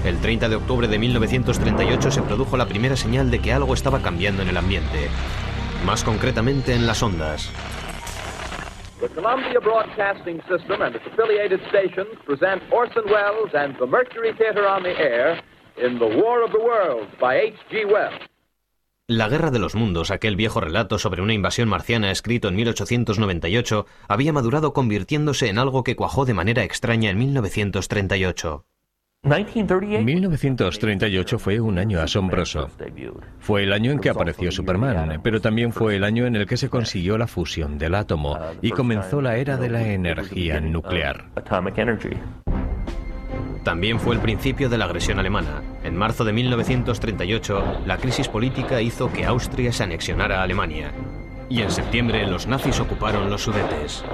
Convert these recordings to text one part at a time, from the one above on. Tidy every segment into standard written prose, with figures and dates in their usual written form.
El 30 de octubre de 1938 se produjo la primera señal de que algo estaba cambiando en el ambiente, más concretamente en las ondas. The Columbia Broadcasting System and its affiliated stations present Orson Welles and the Mercury Theater on the Air in The War of the Worlds by H.G. Wells. La Guerra de los Mundos, aquel viejo relato sobre una invasión marciana escrito en 1898, había madurado convirtiéndose en algo que cuajó de manera extraña en 1938. 1938 fue un año asombroso. Fue el año en que apareció Superman, pero también fue el año en el que se consiguió la fusión del átomo y comenzó la era de la energía nuclear. También fue el principio de la agresión alemana. En marzo de 1938, la crisis política hizo que Austria se anexionara a Alemania. Y en septiembre, los nazis ocuparon los Sudetes.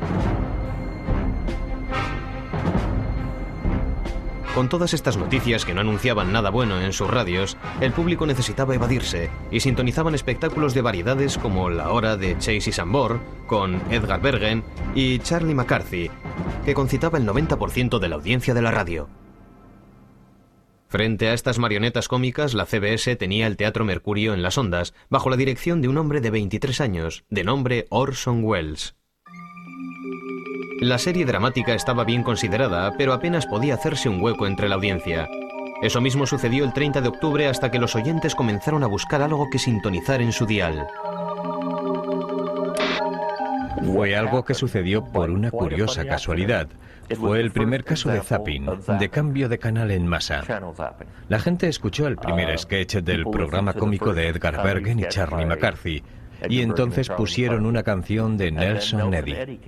Con todas estas noticias que no anunciaban nada bueno en sus radios, el público necesitaba evadirse y sintonizaban espectáculos de variedades como La Hora de Chase y Sambor, con Edgar Bergen y Charlie McCarthy, que concitaba el 90% de la audiencia de la radio. Frente a estas marionetas cómicas, la CBS tenía el Teatro Mercurio en las ondas, bajo la dirección de un hombre de 23 años, de nombre Orson Welles. La serie dramática estaba bien considerada, pero apenas podía hacerse un hueco entre la audiencia. Eso mismo sucedió el 30 de octubre hasta que los oyentes comenzaron a buscar algo que sintonizar en su dial. Fue algo que sucedió por una curiosa casualidad. Fue el primer caso de zapping, de cambio de canal en masa. La gente escuchó el primer sketch del programa cómico de Edgar Bergen y Charlie McCarthy, y entonces pusieron una canción de Nelson Eddy.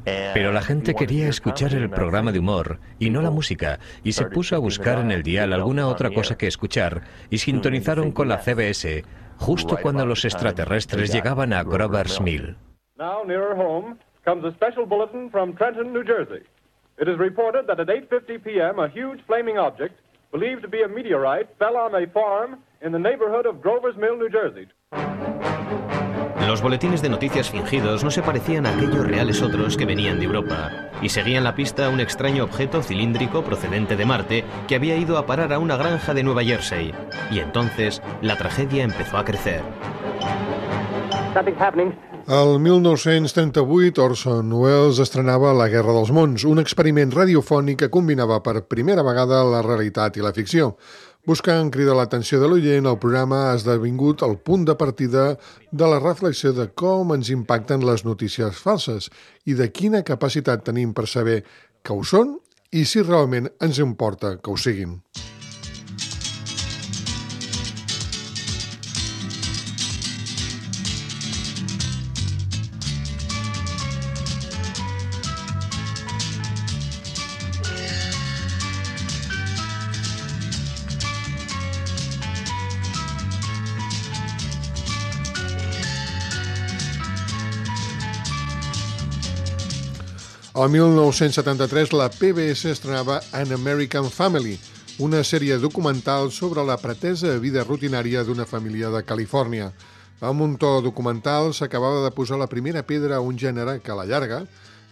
Pero la gente quería escuchar el programa de humor y no la música, y se puso a buscar en el dial alguna otra cosa que escuchar, y sintonizaron con la CBS justo cuando los extraterrestres llegaban a Grover's Mill. Now nearer home comes a special bulletin from Trenton, New Jersey. It is reported that at 8:50 p.m. a huge flaming object, believed to be a meteorite, fell on a farm in the neighborhood of Grover's Mill, New Jersey. Los boletines de noticias fingidos no se parecían a aquellos reales otros que venían de Europa, y seguían la pista a un extraño objeto cilíndrico procedente de Marte que había ido a parar a una granja de Nueva Jersey. Y entonces la tragedia empezó a crecer. El 1938, Orson Welles estrenava La Guerra dels Mons, un experiment radiofònic que combinava per primera vegada la realitat i la ficció. Buscant cridar l'atenció de l'oient, el programa ha esdevingut el punt de partida de la reflexió de com ens impacten les notícies falses i de quina capacitat tenim per saber que ho són i si realment ens importa que ho siguin. El 1973 la PBS estrenava An American Family, una sèrie documental sobre la pretesa vida rutinària d'una família de Califòrnia. Amb un to documental s'acabava de posar la primera pedra a un gènere que a la llarga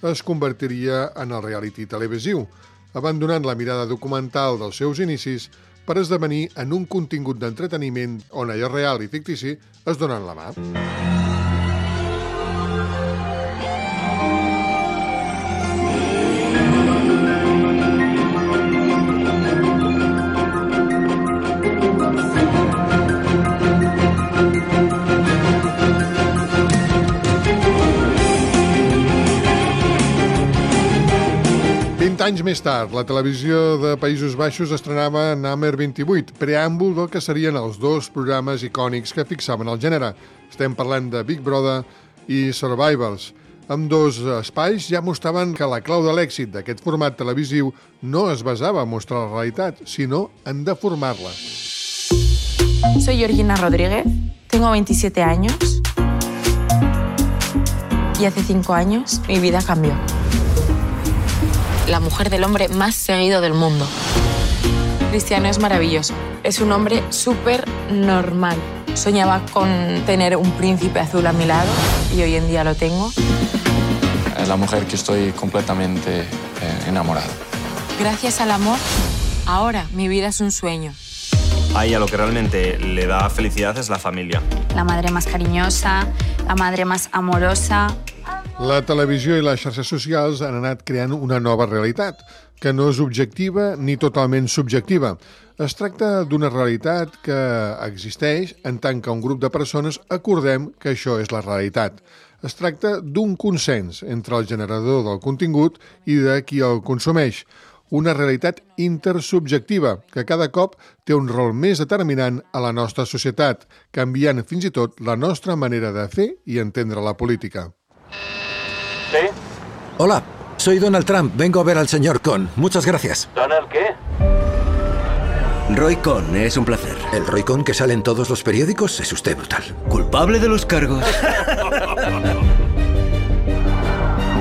es convertiria en el reality televisiu, abandonant la mirada documental dels seus inicis per esdevenir en un contingut d'entreteniment on allò real i fictici es donen la mà. Anys més tard, la televisió de Països Baixos estrenava Number 28, preàmbul del que serien els dos programes icònics que fixaven el gènere. Estem parlant de Big Brother i Survivors. Ambdós espais ja mostraven que la clau de l'èxit d'aquest format televisiu no es basava en mostrar la realitat, sinó en deformar-la. Soy Georgina Rodríguez, tengo 27 años y hace 5 años mi vida cambió. La mujer del hombre más seguido del mundo. Cristiano es maravilloso. Es un hombre súper normal. Soñaba con tener un príncipe azul a mi lado y hoy en día lo tengo. La mujer que estoy completamente enamorado. Gracias al amor Ahora mi vida es un sueño. A ella lo que realmente le da felicidad es la familia. La madre más cariñosa, la madre más amorosa. La televisió i les xarxes socials han anat creant una nova realitat, que no és objectiva ni totalment subjectiva. Es tracta d'una realitat que existeix en tant que un grup de persones acordem que això és la realitat. Es tracta d'un consens entre el generador del contingut i de qui el consumeix. Una realitat intersubjectiva que cada cop té un rol més determinant a la nostra societat, canviant fins i tot la nostra manera de fer i entendre la política. ¿Sí? Hola, soy Donald Trump. Vengo a ver al señor Cohn. Muchas gracias. ¿Donald qué? Roy Cohn, es un placer. ¿El Roy Cohn que sale en todos los periódicos? Es usted brutal. Culpable de los cargos.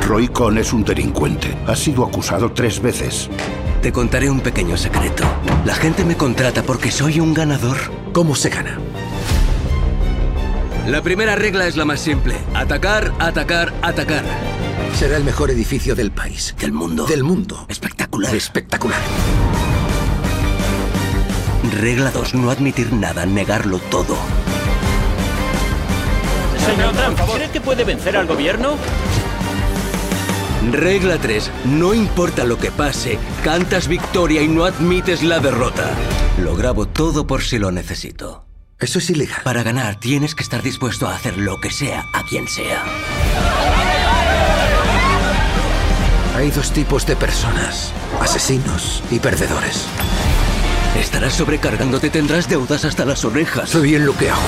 Roy Cohn es un delincuente. Ha sido acusado 3 veces. Te contaré un pequeño secreto. La gente me contrata porque soy un ganador. ¿Cómo se gana? La primera regla es la más simple. Atacar, atacar, atacar. Será el mejor edificio del país. Del mundo. Del mundo. Espectacular. Espectacular. Regla 2. No admitir nada, negarlo todo. Señor Trump, ¿cree que puede vencer al gobierno? Regla 3. No importa lo que pase, cantas victoria y no admites la derrota. Lo grabo todo por si lo necesito. Eso es ilegal. Para ganar tienes que estar dispuesto a hacer lo que sea, a quien sea. Hay 2 tipos de personas, asesinos y perdedores. Estarás sobrecargándote, tendrás deudas hasta las orejas. Sé bien lo que hago.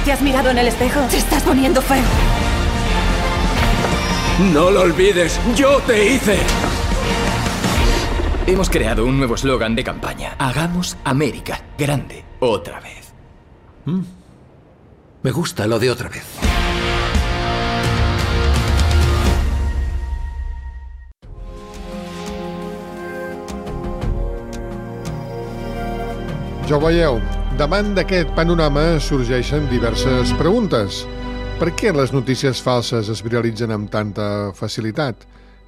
¿Te has mirado en el espejo? Te estás poniendo feo. No lo olvides, yo te hice. Hemos creado un nuevo eslogan de campaña. Hagamos América grande otra vez. Me gusta lo de otra vez. Ja ho veieu, davant d'aquest panorama sorgeixen diverses preguntes. Per què les notícies falses es viralitzen amb tanta facilitat?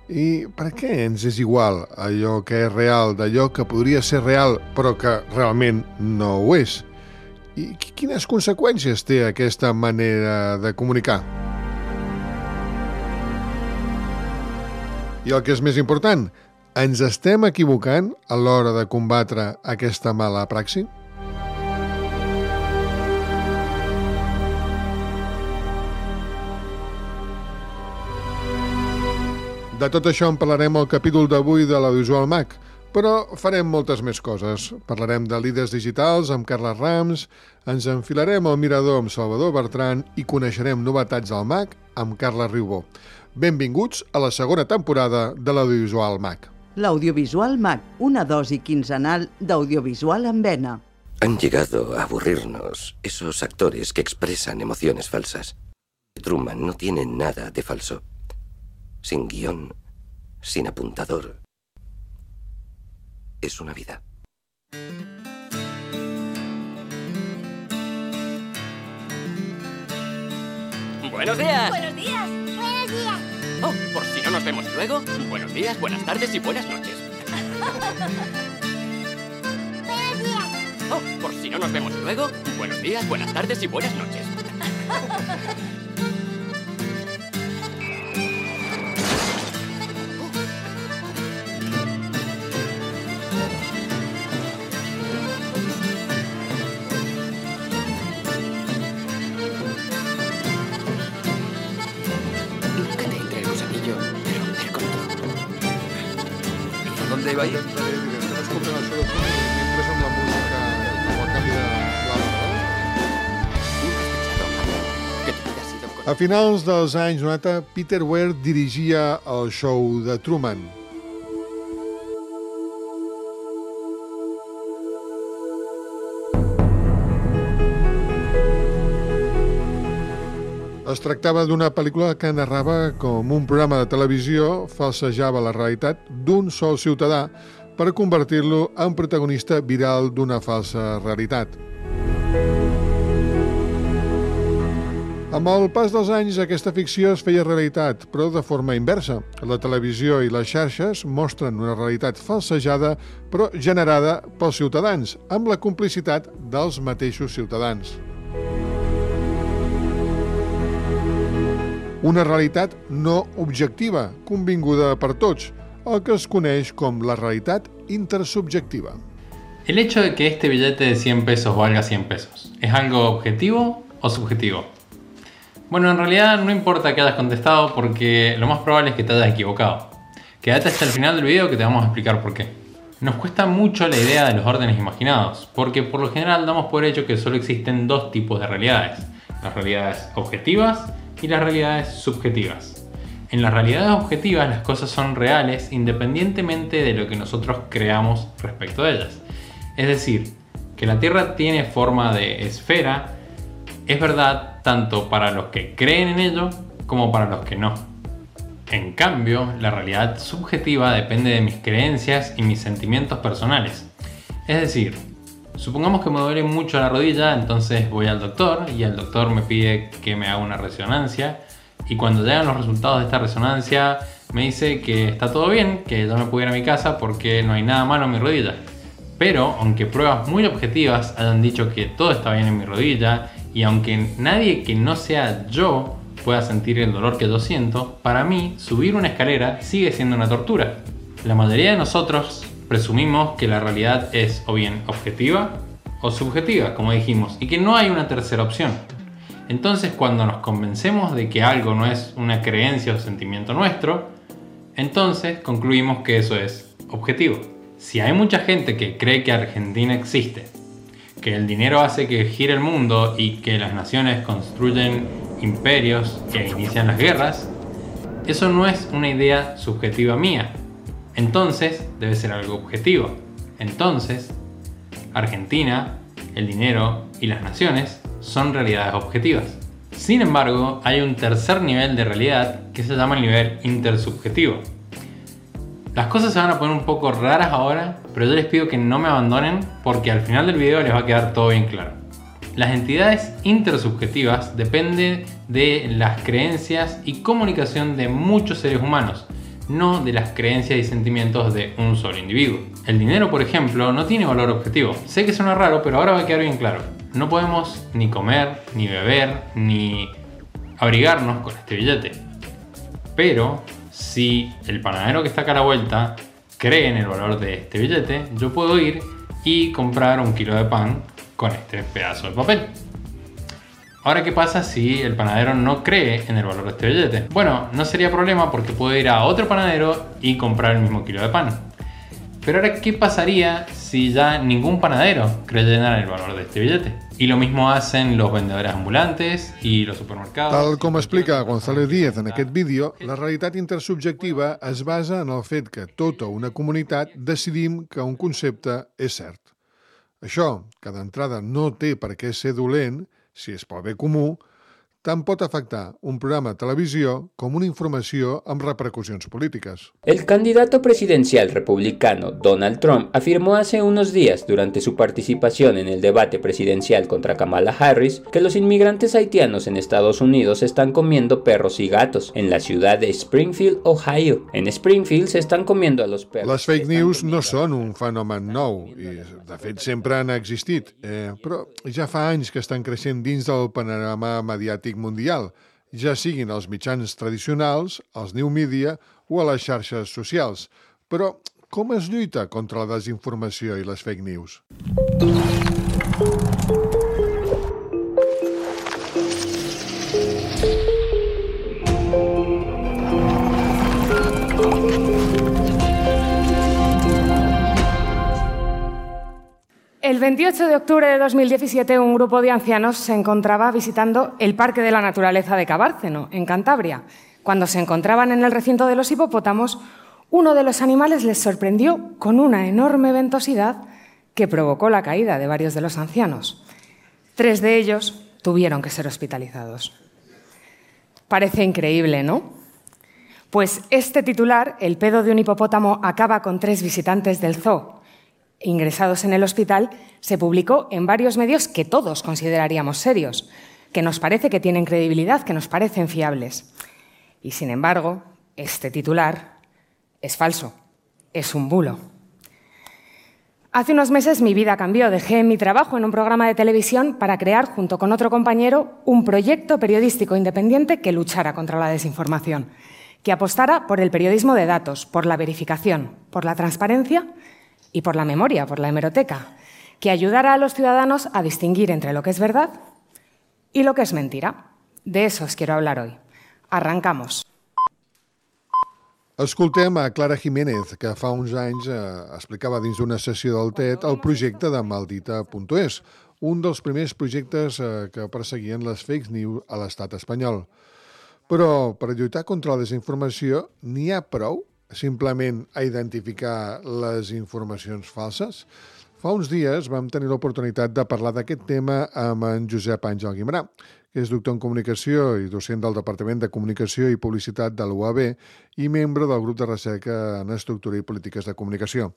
I per què ens és igual allò que és real d'allò que podria ser real però que realment no ho és? I quines conseqüències té aquesta manera de comunicar? I el que és més important, ens estem equivocant a l'hora de combatre aquesta mala praxi? De tot això en parlarem al capítol d'avui de l'Audiovisual Mac, però farem moltes més coses. Parlarem de líders digitals amb Carles Rams, ens enfilarem al mirador amb Salvador Bertran i coneixerem novetats al Mac amb Carles Riubó. Benvinguts a la segona temporada de l'Audiovisual Mac. L'Audiovisual Mac, una dosi quinzenal d'audiovisual en vena. Han llegado a aburrirnos esos actores que expresan emociones falsas. Truman no tiene nada de falso. Sin guión, sin apuntador. Es una vida. ¡Buenos días! ¡Buenos días! ¡Buenos días! Oh, por si no nos vemos luego, buenos días, buenas tardes y buenas noches. ¡Buenos días! Oh, por si no nos vemos luego, buenos días, buenas tardes y buenas noches. ¿Dónde iba a ir? Estem escoltant això de fons i després amb la música, amb el canvi de... A finals dels anys 90, Peter Weir dirigia el show de Truman. Es tractava d'una pel·lícula que narrava com un programa de televisió falsejava la realitat d'un sol ciutadà per convertir-lo en protagonista viral d'una falsa realitat. Amb el pas dels anys, aquesta ficció es feia realitat, però de forma inversa. La televisió i les xarxes mostren una realitat falsejada, però generada pels ciutadans, amb la complicitat dels mateixos ciutadans. Una realitat no objectiva, convinguda per tots, el que es coneix com la realitat intersubjectiva. El hecho de que este billete de 100 pesos valga 100 pesos, ¿es algo objetivo o subjetivo? Bueno, en realidad no importa que hayas contestado porque lo más probable es que te hayas equivocado. Quédate hasta el final del video que te vamos a explicar por qué. Nos cuesta mucho la idea de los órdenes imaginados, porque por lo general damos por hecho que solo existen dos tipos de realidades: las realidades objetivas y las realidades subjetivas. En las realidades objetivas las cosas son reales independientemente de lo que nosotros creamos respecto de ellas. Es decir, que la Tierra tiene forma de esfera es verdad tanto para los que creen en ello como para los que no. En cambio, la realidad subjetiva depende de mis creencias y mis sentimientos personales. Es decir, supongamos que me duele mucho la rodilla, entonces voy al doctor y el doctor me pide que me haga una resonancia, y cuando llegan los resultados de esta resonancia me dice que está todo bien, que yo me puedo ir a mi casa porque no hay nada malo en mi rodilla. Pero aunque pruebas muy objetivas hayan dicho que todo está bien en mi rodilla, y aunque nadie que no sea yo pueda sentir el dolor que yo siento, para mí subir una escalera sigue siendo una tortura. La mayoría de nosotros presumimos que la realidad es o bien objetiva o subjetiva, como dijimos, y que no hay una tercera opción. Entonces, cuando nos convencemos de que algo no es una creencia o sentimiento nuestro, entonces concluimos que eso es objetivo. Si hay mucha gente que cree que Argentina existe, que el dinero hace que gire el mundo y que las naciones construyen imperios que inician las guerras, eso no es una idea subjetiva mía. Entonces debe ser algo objetivo. Entonces, Argentina, el dinero y las naciones son realidades objetivas. Sin embargo, hay un tercer nivel de realidad que se llama el nivel intersubjetivo. Las cosas se van a poner un poco raras ahora, pero yo les pido que no me abandonen porque al final del video les va a quedar todo bien claro. Las entidades intersubjetivas dependen de las creencias y comunicación de muchos seres humanos, no de las creencias y sentimientos de un solo individuo. El dinero, por ejemplo, no tiene valor objetivo. Sé que suena raro, pero ahora va a quedar bien claro. No podemos ni comer, ni beber, ni abrigarnos con este billete. Pero si el panadero que está acá a la vuelta cree en el valor de este billete, yo puedo ir y comprar 1 kilo de pan con este pedazo de papel. Ahora, ¿qué pasa si el panadero no cree en el valor de este billete? Bueno, no sería problema porque puedo ir a otro panadero y comprar el mismo kilo de pan. Pero ahora, ¿qué pasaría si ya ningún panadero creyera en el valor de este billete? Y lo mismo hacen los vendedores ambulantes y los supermercados. Tal com explica González Díez en aquest vídeo, la realitat intersubjectiva es basa en el fet que tota una comunitat decidim que un concepte és cert. Això, que d'entrada no té per què ser dolent, si és pel bé comú, tant pot afectar un programa de televisió com una informació amb repercussions polítiques. El candidato presidencial republicano Donald Trump afirmó hace unos días durante su participación en el debate presidencial contra Kamala Harris que los inmigrantes haitianos en Estados Unidos están comiendo perros y gatos en la ciudad de Springfield, Ohio. En Springfield se están comiendo a los perros. Les fake news no són un fenomen nou i, de fet, sempre han existit, però ja fa anys que estan creixent dins del panorama mediàtic mundial, ja siguin els mitjans tradicionals, els new media o a les xarxes socials. Però com es lluita contra la desinformació i les fake news? El 28 de octubre de 2017, un grupo de ancianos se encontraba visitando el Parque de la Naturaleza de Cabárceno, en Cantabria. Cuando se encontraban en el recinto de los hipopótamos, uno de los animales les sorprendió con una enorme ventosidad que provocó la caída de varios de los ancianos. 3 de ellos tuvieron que ser hospitalizados. Parece increíble, ¿no? Pues este titular, el pedo de un hipopótamo acaba con 3 visitantes del zoo ingresados en el hospital, se publicó en varios medios que todos consideraríamos serios. que nos parece que tienen credibilidad, que nos parecen fiables. Y sin embargo, este titular es falso, es un bulo. Hace unos meses mi vida cambió. Dejé mi trabajo en un programa de televisión para crear, junto con otro compañero, un proyecto periodístico independiente que luchara contra la desinformación, que apostara por el periodismo de datos, por la verificación, por la transparencia y por la memoria, por la hemeroteca, que ayudara a los ciudadanos a distinguir entre lo que es verdad y lo que es mentira. De eso os quiero hablar hoy. Arrancamos. Escoltem a Clara Jiménez, que fa uns anys explicava dins d'una sessió del TED el projecte de Maldita.es, un dels primers projectes que perseguien les fake news a l'estat espanyol. Però per lluitar contra la desinformació n'hi ha prou simplement a identificar les informacions falses? Fa uns dies vam tenir l'oportunitat de parlar d'aquest tema amb en Josep Àngel Guimerà, que és doctor en comunicació i docent del Departament de Comunicació i Publicitat de l'UAB i membre del grup de recerca en estructura i polítiques de comunicació.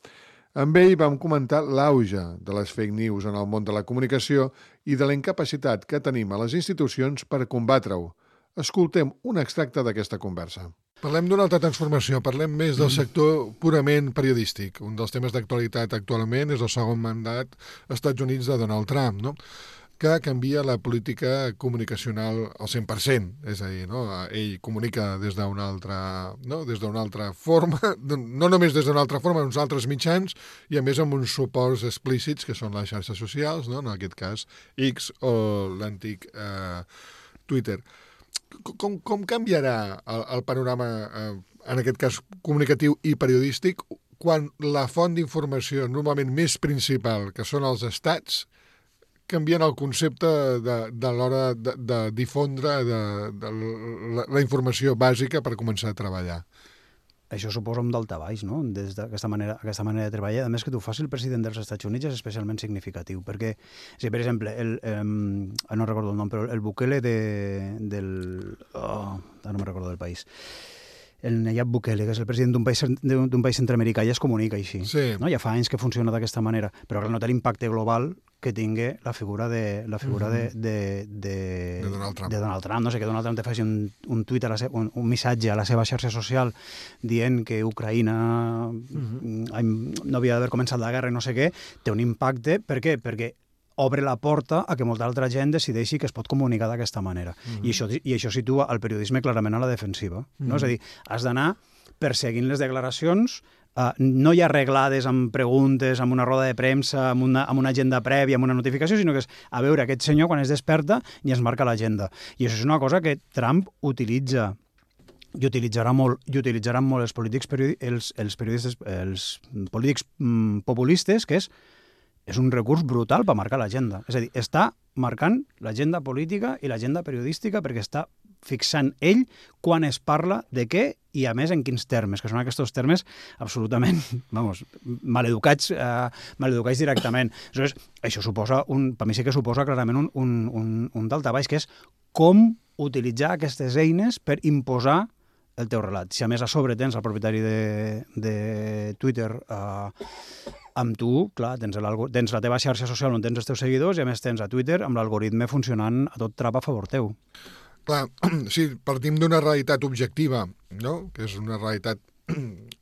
Amb ell vam comentar l'auge de les fake news en el món de la comunicació i de la incapacitat que tenim a les institucions per combatre-ho. Escoltem un extracte d'aquesta conversa. Parlem d'una altra transformació, parlem més del sector purament periodístic. Un dels temes d'actualitat actualment és el segon mandat als Estats Units de Donald Trump, no? Que canvia la política comunicacional al 100%, és a dir, no? Ell comunica des d'una altra forma, no només des d'una altra forma, en uns altres mitjans, i a més amb uns suports explícits que són les xarxes socials, no? En aquest cas X o l'antic Twitter. Com canviarà el panorama, en aquest cas comunicatiu i periodístic, quan la font d'informació normalment més principal, que són els estats, canvien el concepte de l'hora de difondre la informació bàsica per començar a treballar? Això suposa un daltabaix, no?, des d'aquesta manera de treballar. A més, que t'ho faci el president dels Estats Units és especialment significatiu, perquè, si per exemple, no recordo el nom, però el Bukele no me recordo del país, el Nayib Bukele, que és el president d'un país centreamericà, ja es comunica així. Sí. No? Ja fa anys que funciona d'aquesta manera, però no té l'impacte global que tingui la figura de Donald Trump. No sé, que Donald Trump te faci un tuit, un missatge a la seva xarxa social dient que Ucraïna no havia d'haver començat la guerra i no sé què, té un impacte. Per què? Perquè obre la porta a que molta altra gent decideixi que es pot comunicar d'aquesta manera. I això situa el periodisme clarament a la defensiva. No? És a dir, has d'anar perseguint les declaracions, no ja arreglades amb preguntes, amb una roda de premsa, amb una agenda prèvia, amb una notificació, sinó que és a veure aquest senyor quan es desperta i es marca l'agenda. I això és una cosa que Trump utilitza i utilitzarà molt els polítics populistes, que és un recurs brutal per marcar l'agenda. És a dir, està marcant l'agenda política i l'agenda periodística perquè està fixant ell quan es parla de què i, a més, en quins termes, que són aquests termes absolutament, maleducats directament. Aleshores, això suposa, per mi sí que suposa clarament un daltabaix, que és com utilitzar aquestes eines per imposar el teu relat. Si a més a sobre tens el propietari de Twitter amb tu, clar, tens la teva xarxa social on tens els teus seguidors i a més tens a Twitter amb l'algoritme funcionant a tot trap a favor teu. Clar, sí, partim d'una realitat objectiva, no? Que és una realitat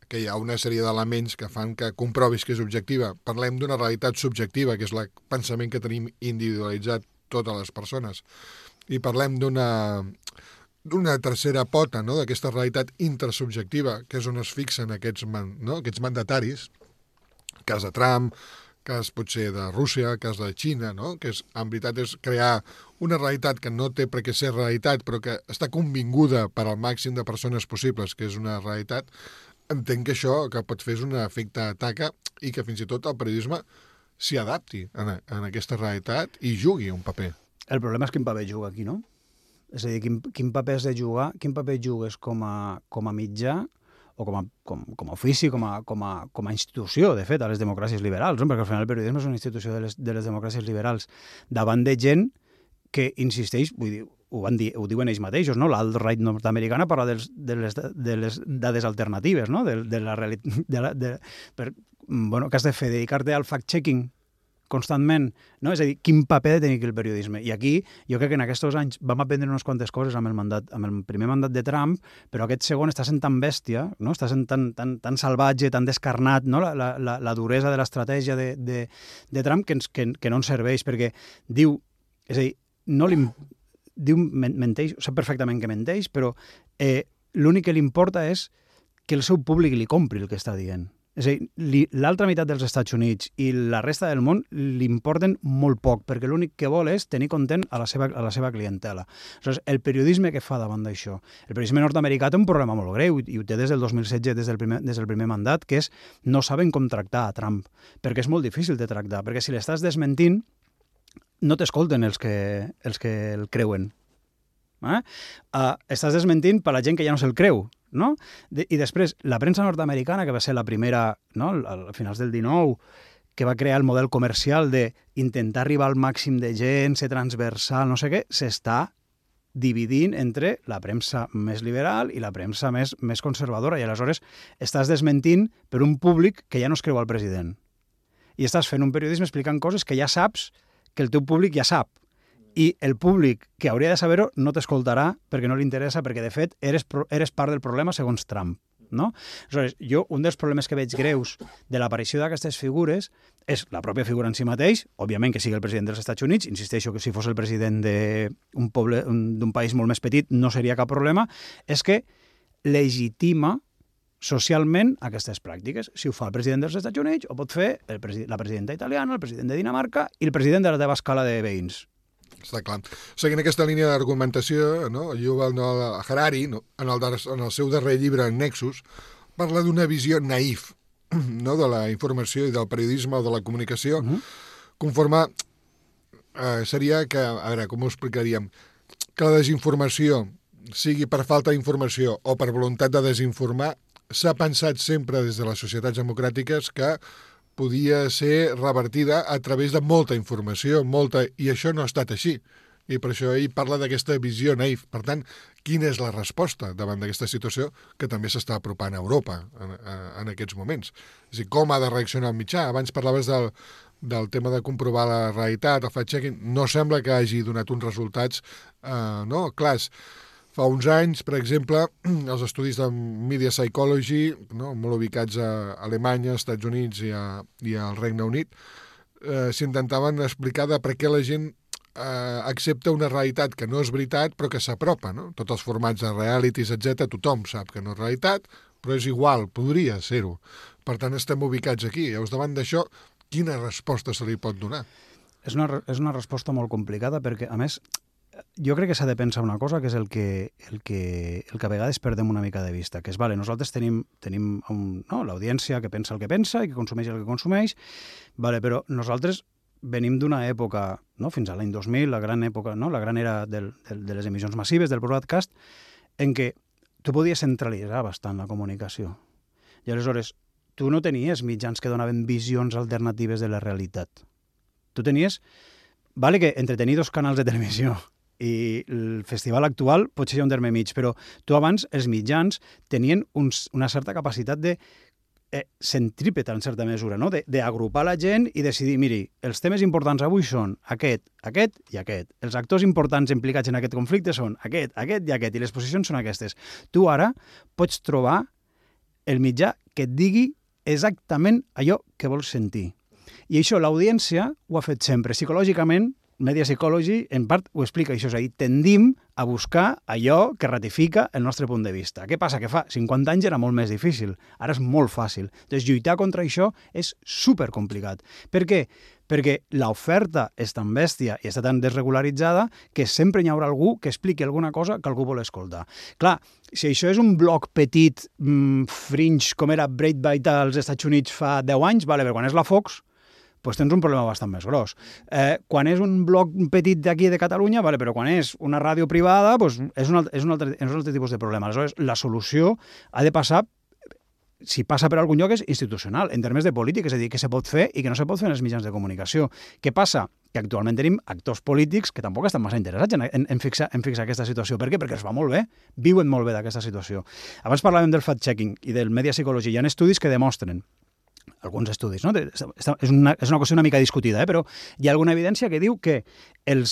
que hi ha una sèrie d'elements que fan que comprovis que és objectiva. Parlem d'una realitat subjectiva, que és el pensament que tenim individualitzat totes les persones. I parlem d'una tercera pota, no?, d'aquesta realitat intersubjectiva, que és on es fixen aquests mandataris, cas de Trump, cas potser de Rússia, cas de Xina, no?, que en veritat és crear una realitat que no té per què ser realitat, però que està convinguda per al màxim de persones possibles, que és una realitat. Entenc que això que pot fer és un efecte taca i que fins i tot el periodisme s'hi adapti en aquesta realitat i jugui un paper. El problema és quin paper juga aquí, no? És a dir, quin paper has de jugar, quin paper jugues com a mitjà o com a ofici, com a institució, de fet, a les democràcies liberals, no? Perquè al final el periodisme és una institució de les democràcies liberals davant de gent que insisteix, vull dir, ho diuen ells mateixos, no? L'alt-right nord-americana parla de les dades alternatives, no? Que has de fer, dedicar-te al fact-checking constantment, no? És a dir, quin paper ha de tenir aquí el periodisme. I aquí jo crec que en aquests anys vam aprendre unes quantes coses amb el primer mandat de Trump, però aquest segon està sent tan bèstia, no? Està sent tan salvatge, tan descarnat, no? La duresa de l'estratègia de Trump que no ens serveix, perquè diu, és a dir, menteix, sap perfectament que menteix, però l'únic que li importa és que el seu públic li compri el que està dient. És a dir, l'altra meitat dels Estats Units i la resta del món li importen molt poc, perquè l'únic que vol és tenir content a la seva clientela. Aleshores, el periodisme que fa davant d'això? El periodisme nord-americà té un problema molt greu, i ho té des del 2016, des del primer mandat, que és no saben com tractar a Trump, perquè és molt difícil de tractar, perquè si l'estàs desmentint, no t'escolten els que el creuen. Estàs desmentint per la gent que ja no se'l creu, no? I després, la premsa nord-americana, que va ser la primera, no? A finals del 19, que va crear el model comercial d'intentar arribar al màxim de gent, ser transversal, no sé què, s'està dividint entre la premsa més liberal i la premsa més conservadora, i aleshores estàs desmentint per un públic que ja no es creu al president. I estàs fent un periodisme explicant coses que ja saps que el teu públic ja sap. I el públic que hauria de saber-ho no t'escoltarà perquè no li interessa, perquè de fet eres part del problema segons Trump, no? Aleshores, jo un dels problemes que veig greus de l'aparició d'aquestes figures és la pròpia figura en si mateix, òbviament que sigui el president dels Estats Units, insisteixo que si fos el president d'un poble, d'un país molt més petit no seria cap problema, és que legitima socialment aquestes pràctiques. Si ho fa el president dels Estats Units, ho pot fer la presidenta italiana, el president de Dinamarca i el president de la teva escala de veïns. Està clar. Seguint aquesta línia d'argumentació, no? Yuval Noah Harari, no? en el seu darrer llibre, Nexus, parla d'una visió naïf, no? De la informació i del periodisme o de la comunicació, conforme seria que, a veure, com ho explicaríem, que la desinformació sigui per falta d'informació o per voluntat de desinformar, s'ha pensat sempre des de les societats democràtiques que podia ser revertida a través de molta informació, i això no ha estat així. I per això ell parla d'aquesta visió naïf. Per tant, quina és la resposta davant d'aquesta situació que també s'està apropant a Europa en aquests moments? És a dir, com ha de reaccionar el mitjà? Abans parlaves del tema de comprovar la realitat, el fact-checking. No sembla que hagi donat uns resultats clars. Fa uns anys, per exemple, els estudis de Media Psychology, no? Molt ubicats a Alemanya, als Estats Units i al Regne Unit, s'intentaven explicar de per què la gent accepta una realitat que no és veritat però que s'apropa. No? Tots els formats de realities, etc., tothom sap que no és realitat, però és igual, podria ser-ho. Per tant, estem ubicats aquí. Llavors, davant d'això, quina resposta se li pot donar? És una resposta molt complicada perquè, a més, jo crec que s'ha de pensar una cosa, que és el que a vegades perdem una mica de vista, que és, vale, nosaltres tenim l'audiència que pensa el que pensa i que consumeix el que consumeix, vale, però nosaltres venim d'una època, no, fins a l'any 2000, la gran època, no, la gran era de les emissions massives, del broadcast, en què tu podies centralitzar bastant la comunicació. I aleshores, tu no tenies mitjans que donaven visions alternatives de la realitat. Tu tenies, vale, que entretenir 2 canals de televisió i el festival actual potser hi ha un terme mig, però tu abans els mitjans tenien una certa capacitat de centrípeta en certa mesura, no? D'agrupar la gent i decidir, miri, els temes importants avui són aquest i aquest. Els actors importants implicats en aquest conflicte són aquest i aquest, i les posicions són aquestes. Tu ara pots trobar el mitjà que et digui exactament allò que vols sentir. I això l'audiència ho ha fet sempre. Psicològicament, Media Psychology, en part, ho explica això. És a dir, tendim a buscar allò que ratifica el nostre punt de vista. Què passa? Que fa 50 anys era molt més difícil. Ara és molt fàcil. Doncs lluitar contra això és supercomplicat. Per què? Perquè l'oferta és tan bèstia i està tan desregularitzada que sempre hi haurà algú que expliqui alguna cosa que algú vol escoltar. Clar, si això és un bloc petit, fringe, com era Breitbart als Estats Units fa 10 anys, vale, però quan és la Fox, doncs tens un problema bastant més gros. Quan és un bloc petit d'aquí de Catalunya, vale, però quan és una ràdio privada, doncs és un altre tipus de problema. Aleshores, la solució ha de passar, si passa per algun lloc, és institucional, en termes de política, és a dir, què se pot fer i què no se pot fer en els mitjans de comunicació. Què passa? Que actualment tenim actors polítics que tampoc estan massa interessats en fixar aquesta situació. Per què? Perquè els va molt bé, viuen molt bé d'aquesta situació. Abans parlàvem del fact-checking i del media psychology. Hi ha estudis que demostren alguns estudis, no? És una qüestió una mica discutida, però hi ha alguna evidència que diu que el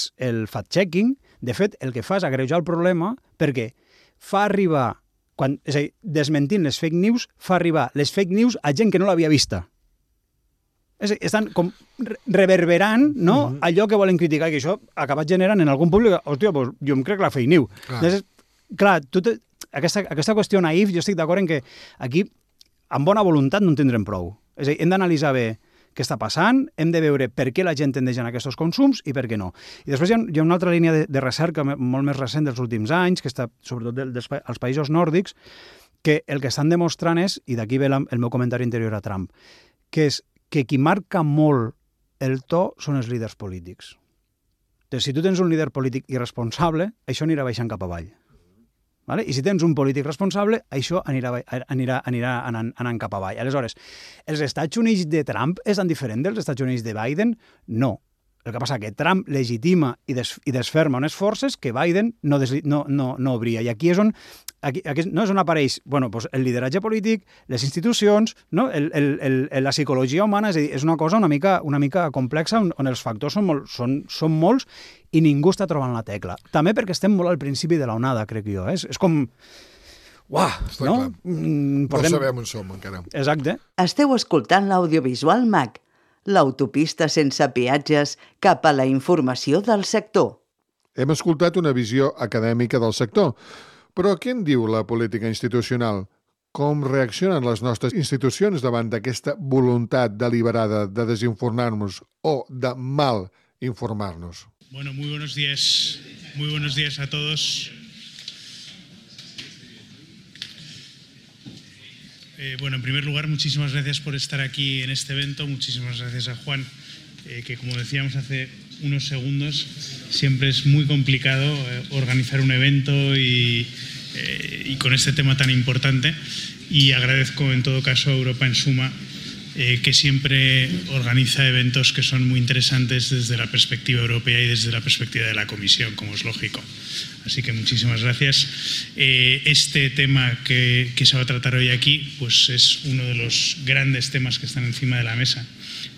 fact-checking, de fet, el que fa és agreujar el problema perquè fa arribar, és a dir, desmentint les fake news, fa arribar les fake news a gent que no l'havia vista. És a dir, estan com reverberant, no? Allò que volen criticar, i que això ha acabat generant en algun públic, hòstia, doncs jo em crec la fake news. Clar, aquesta qüestió naïf, jo estic d'acord en que aquí, amb bona voluntat, no en tindrem prou. És a dir, hem d'analitzar bé què està passant, hem de veure per què la gent tendeix a aquests consums i per què no. I després hi ha una altra línia de recerca molt més recent dels últims anys, que està sobretot als països nòrdics, que el que estan demostrant és, i d'aquí ve el meu comentari anterior a Trump, que és que qui marca molt el to són els líders polítics. Entonces, si tu tens un líder polític irresponsable, això anirà baixant cap avall. Vale? I si tens un polític responsable, això anirà anant cap avall. Aleshores, els Estats Units de Trump és tan diferent dels Estats Units de Biden? No. El que passa és que Trump legitima i desferma unes forces que Biden no obria. I aquí és on no és on apareix el lideratge polític, les institucions, no? La psicologia humana, és a dir, és una cosa una mica complexa on els factors són molts i ningú està trobant la tecla. També perquè estem molt al principi de l'onada, crec jo. És com... Uah, no? No sabem on som encara. Exacte. Esteu escoltant l'audiovisual MAC, l'autopista sense peatges cap a la informació del sector. Hem escoltat una visió acadèmica del sector, però què en diu la política institucional? Com reaccionen les nostres institucions davant d'aquesta voluntat deliberada de desinformar-nos o de mal informar-nos? Bueno, muy buenos días a todos. Bueno, en primer lugar, muchísimas gracias por estar aquí en este evento. Muchísimas gracias a Juan, que como decíamos hace unos segundos, siempre es muy complicado organizar un evento y con este tema tan importante. Y agradezco en todo caso a Europa en Suma, que siempre organiza eventos que son muy interesantes desde la perspectiva europea y desde la perspectiva de la Comisión, como es lógico. Así que muchísimas gracias. Este tema que se va a tratar hoy aquí pues es uno de los grandes temas que están encima de la mesa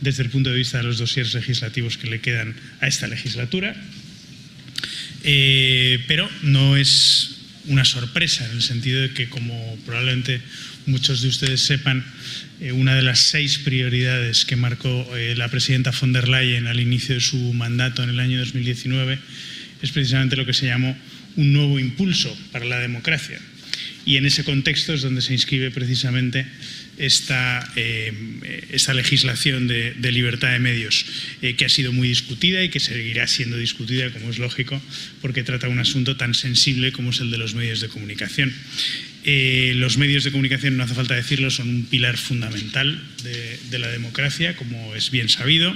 desde el punto de vista de los dosieres legislativos que le quedan a esta legislatura. Pero no es una sorpresa, en el sentido de que, como probablemente muchos de ustedes sepan, una de las 6 prioridades que marcó la presidenta von der Leyen al inicio de su mandato en el año 2019 es precisamente lo que se llamó un nuevo impulso para la democracia. Y en ese contexto es donde se inscribe precisamente esta legislación de libertad de medios, que ha sido muy discutida y que seguirá siendo discutida, como es lógico, porque trata un asunto tan sensible como es el de los medios de comunicación. Los medios de comunicación, no hace falta decirlo, son un pilar fundamental de la democracia, como es bien sabido,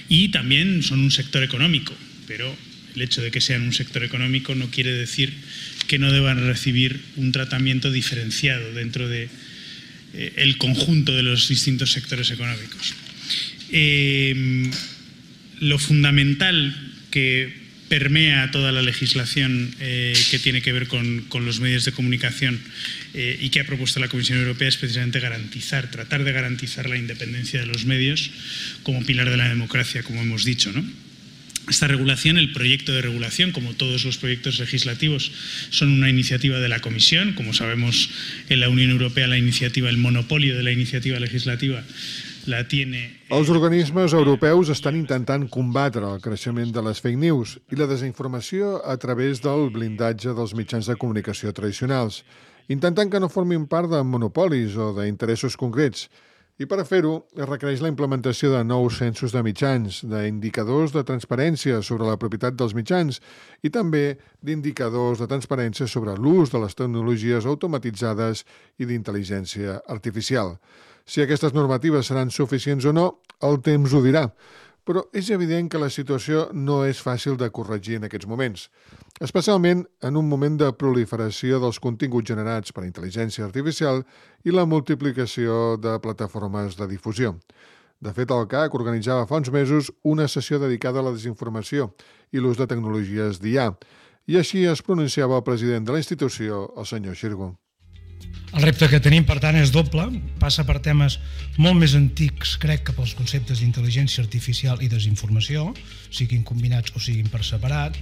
y también son un sector económico, pero el hecho de que sean un sector económico no quiere decir que no deban recibir un tratamiento diferenciado dentro de el conjunto de los distintos sectores económicos. Lo fundamental que permea toda la legislación que tiene que ver con los medios de comunicación y que ha propuesto la Comisión Europea es precisamente tratar de garantizar la independencia de los medios como pilar de la democracia, como hemos dicho, ¿no? Esta regulación, el proyecto de regulación, como todos los proyectos legislativos, son una iniciativa de la Comisión. Como sabemos, en la Unión Europea el monopolio de la iniciativa legislativa la tiene... Els organismes europeus estan intentant combatre el creixement de les fake news i la desinformació a través del blindatge dels mitjans de comunicació tradicionals, intentant que no formin part de monopolis o d'interessos concrets. I per a fer-ho es requereix la implementació de nous censos de mitjans, d'indicadors de transparència sobre la propietat dels mitjans i també d'indicadors de transparència sobre l'ús de les tecnologies automatitzades i d'intel·ligència artificial. Si aquestes normatives seran suficients o no, el temps ho dirà. Però és evident que la situació no és fàcil de corregir en aquests moments, especialment en un moment de proliferació dels continguts generats per intel·ligència artificial i la multiplicació de plataformes de difusió. De fet, el CAC organitzava fa uns mesos una sessió dedicada a la desinformació i l'ús de tecnologies d'IA, i així es pronunciava el president de la institució, el senyor Xirgo. El repte que tenim, per tant, és doble. Passa per temes molt més antics, crec, que pels conceptes d'intel·ligència artificial i desinformació, siguin combinats o siguin per separat,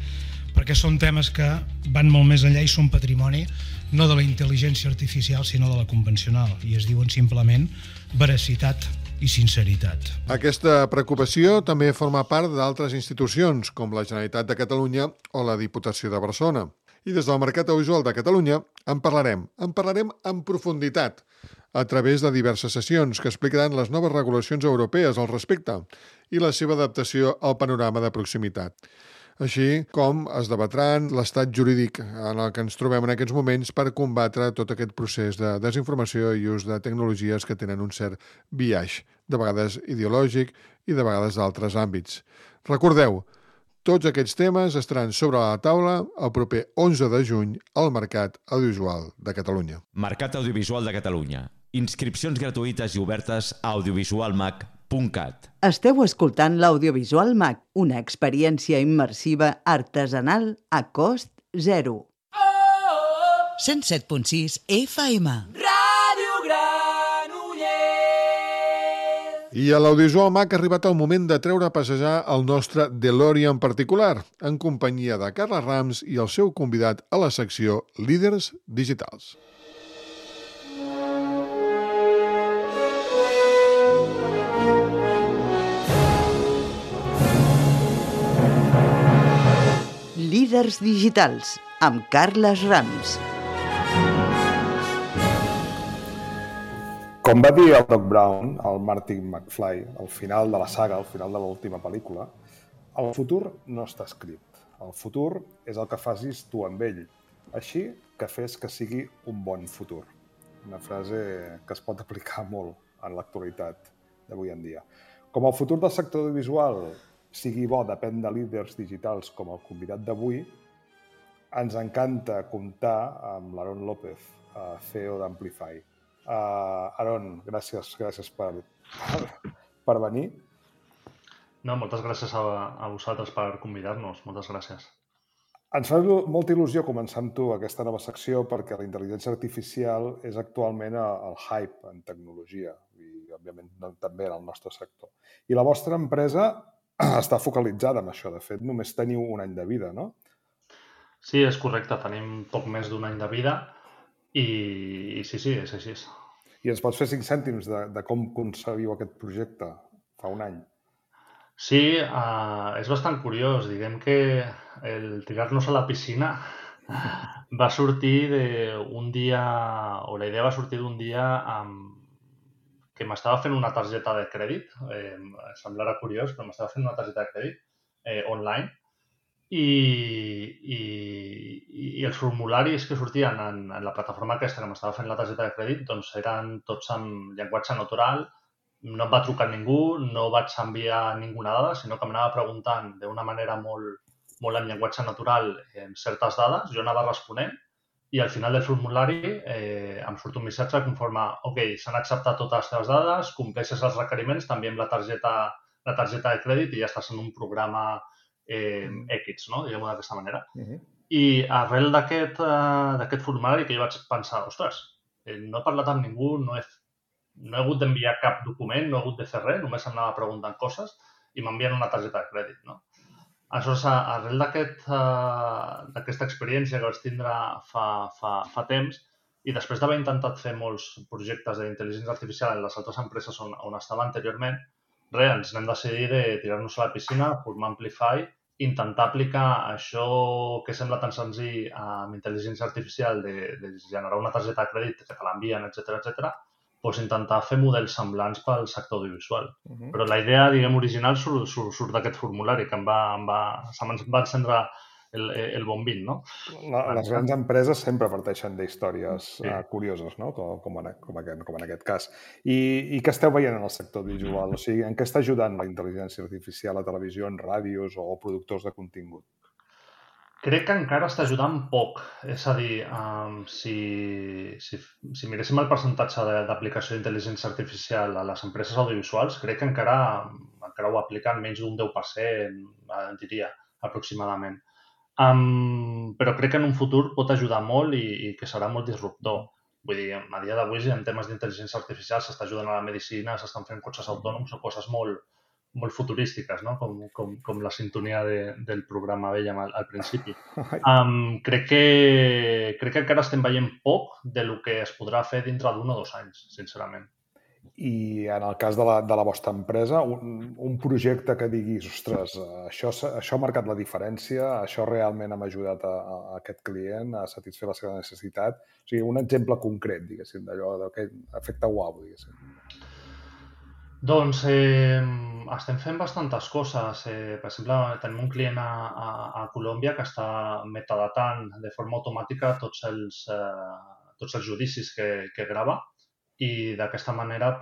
perquè són temes que van molt més enllà i són patrimoni no de la intel·ligència artificial, sinó de la convencional, i es diuen simplement veracitat i sinceritat. Aquesta preocupació també forma part d'altres institucions, com la Generalitat de Catalunya o la Diputació de Barcelona. I des del Mercat Audiovisual de Catalunya en parlarem en profunditat a través de diverses sessions que explicaran les noves regulacions europees al respecte i la seva adaptació al panorama de proximitat. Així com es debatran l'estat jurídic en el que ens trobem en aquests moments per combatre tot aquest procés de desinformació i ús de tecnologies que tenen un cert biaix, de vegades ideològic i de vegades d'altres àmbits. Recordeu, tots aquests temes estaran sobre la taula el proper 11 de juny al Mercat Audiovisual de Catalunya. Mercat Audiovisual de Catalunya. Inscripcions gratuïtes i obertes a audiovisualmac.cat. Esteu escoltant l'Audiovisual Mac, una experiència immersiva artesanal a cost zero. 107.6 FM. I a l'Audiovisual Mac ha arribat el moment de treure a passejar el nostre DeLorean particular, en companyia de Carla Rams i el seu convidat a la secció Líders Digitals. Líders Digitals, amb Carles Rams. Com va dir el Doc Brown, el Marty McFly, al final de la saga, al final de l'última pel·lícula, el futur no està escrit. El futur és el que facis tu amb ell. Així que fes que sigui un bon futur. Una frase que es pot aplicar molt en l'actualitat d'avui en dia. Com el futur del sector audiovisual sigui bo depèn de líders digitals com el convidat d'avui, ens encanta comptar amb l'Aaron López, CEO d'Amplify. Aaron, gràcies per venir. No, moltes gràcies a vosaltres per convidar-nos. Moltes gràcies. Ens fa molta il·lusió començar amb tu aquesta nova secció perquè la intel·ligència artificial és actualment el hype en tecnologia i, òbviament, també en el nostre sector. I la vostra empresa està focalitzada en això. De fet, només teniu un any de vida, no? Sí, és correcte. Tenim poc més d'un any de vida i sí, és així. I ens pots fer 5 cèntims de com concebíeu aquest projecte fa un any? Sí, és bastant curiós. Diguem que el tirar-nos a la piscina va sortir d'un dia, o la idea va sortir d'un dia que m'estava fent una targeta de crèdit. Semblarà curiós, però m'estava fent una targeta de crèdit online i els formularis que sortien en la plataforma aquesta que m'estava fent la targeta de crèdit doncs eren tots en llenguatge natural. No em va trucar ningú, no vaig enviar ninguna dada, sinó que m'anava preguntant d'una manera molt en llenguatge natural certes dades, jo anava responent i al final del formulari em surt un missatge que informa ok, s'han acceptat totes les teves dades, compleixes els requeriments, t'enviem la targeta de crèdit i ja estàs en un programa X, no? Diguem-ho d'aquesta manera. I arrel d'aquest formulari que jo vaig pensar, ostres, no he parlat amb ningú, no he hagut d'enviar cap document, no he hagut de fer res, només em anava preguntant coses i m'envien una targeta de crèdit, no? Aleshores, arrel d'aquesta experiència que vaig tindre fa temps i després d'haver intentat fer molts projectes d'intel·ligència artificial en les altres empreses on estava anteriorment, ens vam decidir de tirar-nos a la piscina, formar Amplify, intentar aplicar això que sembla tan senzill amb intel·ligència artificial de generar una targeta de crèdit que te l'envien, etc., doncs intentar fer models semblants pel sector audiovisual. Però la idea, diguem, original surt d'aquest formulari que se'm va encendre el bombín, no? Les grans empreses sempre parteixen d'històries curioses, no? Com en aquest cas. I què esteu veient en el sector audiovisual? O sigui, en què està ajudant la intel·ligència artificial a televisions, ràdios o productors de contingut? Crec que encara està ajudant poc. És a dir, si miréssim el percentatge d'aplicació d'intel·ligència artificial a les empreses audiovisuals, crec que encara ho apliquen menys d'un 10%, diria, aproximadament. Però crec que en un futur pot ajudar molt i que serà molt disruptor. Vull dir, a dia d'avui, en temes d'intel·ligència artificial, s'està ajudant a la medicina, s'estan fent cotxes autònoms o coses molt futurístiques, no? Com la sintonia del programa vèiem al principi. Crec que encara estem veient poc del que es podrà fer dintre d'1 o 2 anys, sincerament. I en el cas de la vostra empresa, un projecte que diguis, ostres, això ha marcat la diferència, això realment ha ajudat a aquest client a satisfer la seva necessitat. O sigui, un exemple concret, diguéssim, d'allò, d'aquest efecte uau, diguéssim. Doncs estem fent bastantes coses. Per exemple, tenim un client a Colòmbia que està metadatant de forma automàtica tots els judicis que grava, i d'aquesta manera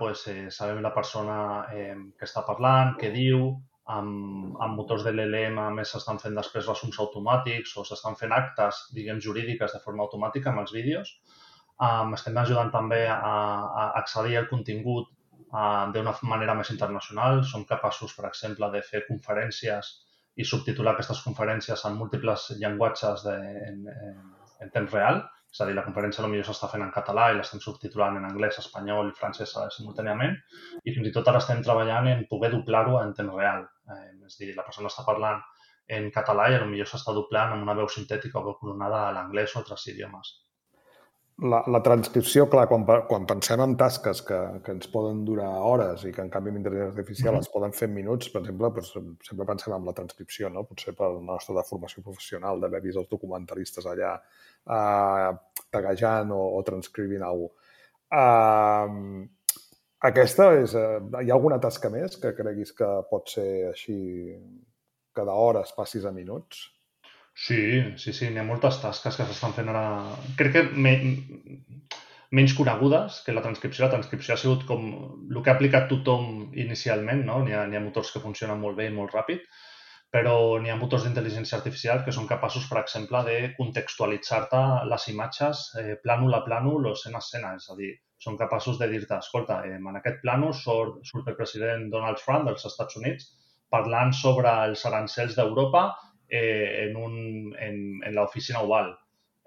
sabem la persona que està parlant, què diu, amb motors de l'LM a més s'estan fent després resums automàtics o s'estan fent actes, diguem, jurídiques de forma automàtica amb els vídeos. Estem ajudant també a accedir al contingut d'una manera més internacional. Som capaços, per exemple, de fer conferències i subtitular aquestes conferències en múltiples llenguatges en temps real. És a dir, la conferència potser s'està fent en català i l'estem subtitulant en anglès, espanyol i francès simultàniament. I fins i tot ara estem treballant en poder doblar-ho en temps real. És a dir, la persona està parlant en català i potser s'està doblant amb una veu sintètica o veu clonada a l'anglès o altres idiomes. La transcripció, clar, quan pensem en tasques que ens poden durar hores i que en canvi amb intel·ligència artificial es poden fer en minuts, per exemple, sempre pensem en la transcripció, no? Potser per la nostra formació professional, d'haver vist els documentalistes allà taguejant o transcrivint alguna cosa. Aquesta és... Hi ha alguna tasca més que creguis que pot ser així, que d'hores passis a minuts? Sí, n'hi ha moltes tasques que s'estan fent ara. Crec que menys conegudes que la transcripció. La transcripció ha sigut com el que ha aplicat tothom inicialment, no? N'hi ha motors que funcionen molt bé i molt ràpid, però n'hi ha motors d'intel·ligència artificial que són capaços, per exemple, de contextualitzar-te les imatges plànol a plànol o escena a escena. És a dir, són capaços de dir-te, escolta, en aquest plànol surt el president Donald Trump dels Estats Units parlant sobre els arancels d'Europa en l'oficina oval.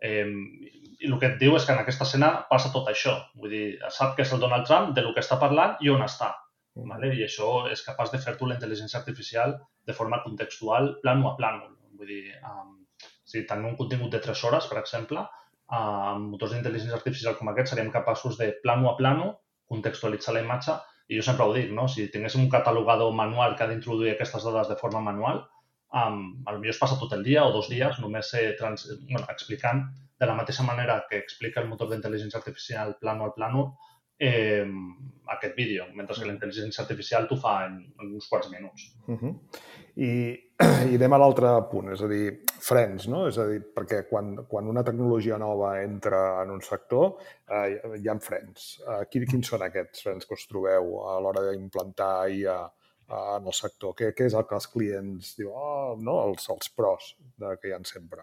I el que et diu és que en aquesta escena passa tot això. Vull dir, sap que és el Donald Trump de lo que està parlant i on està. I això és capaç de fer-t'ho la intel·ligència artificial de forma contextual, plànol a plànol. Vull dir, si tenim un contingut de 3 hores, per exemple, amb motors d'intel·ligència artificial com aquest seríem capaços de plànol a plànol contextualitzar la imatge. I jo sempre ho dic, no? Si tinguéssim un catalogador manual que ha d'introduir aquestes dades de forma manual, potser es passa tot el dia o 2 dies només explicant de la mateixa manera que explica el motor d'intel·ligència artificial plànol a plànol aquest vídeo, mentre que la intel·ligència artificial t'ho fa en uns quants minuts. I anem a l'altre punt, és a dir, frens, no? És a dir, perquè quan una tecnologia nova entra en un sector, hi ha frens. Quins són aquests frens que us trobeu a l'hora d'implantar IA en el sector? Què és el que els clients diuen, els pros que hi ha sempre?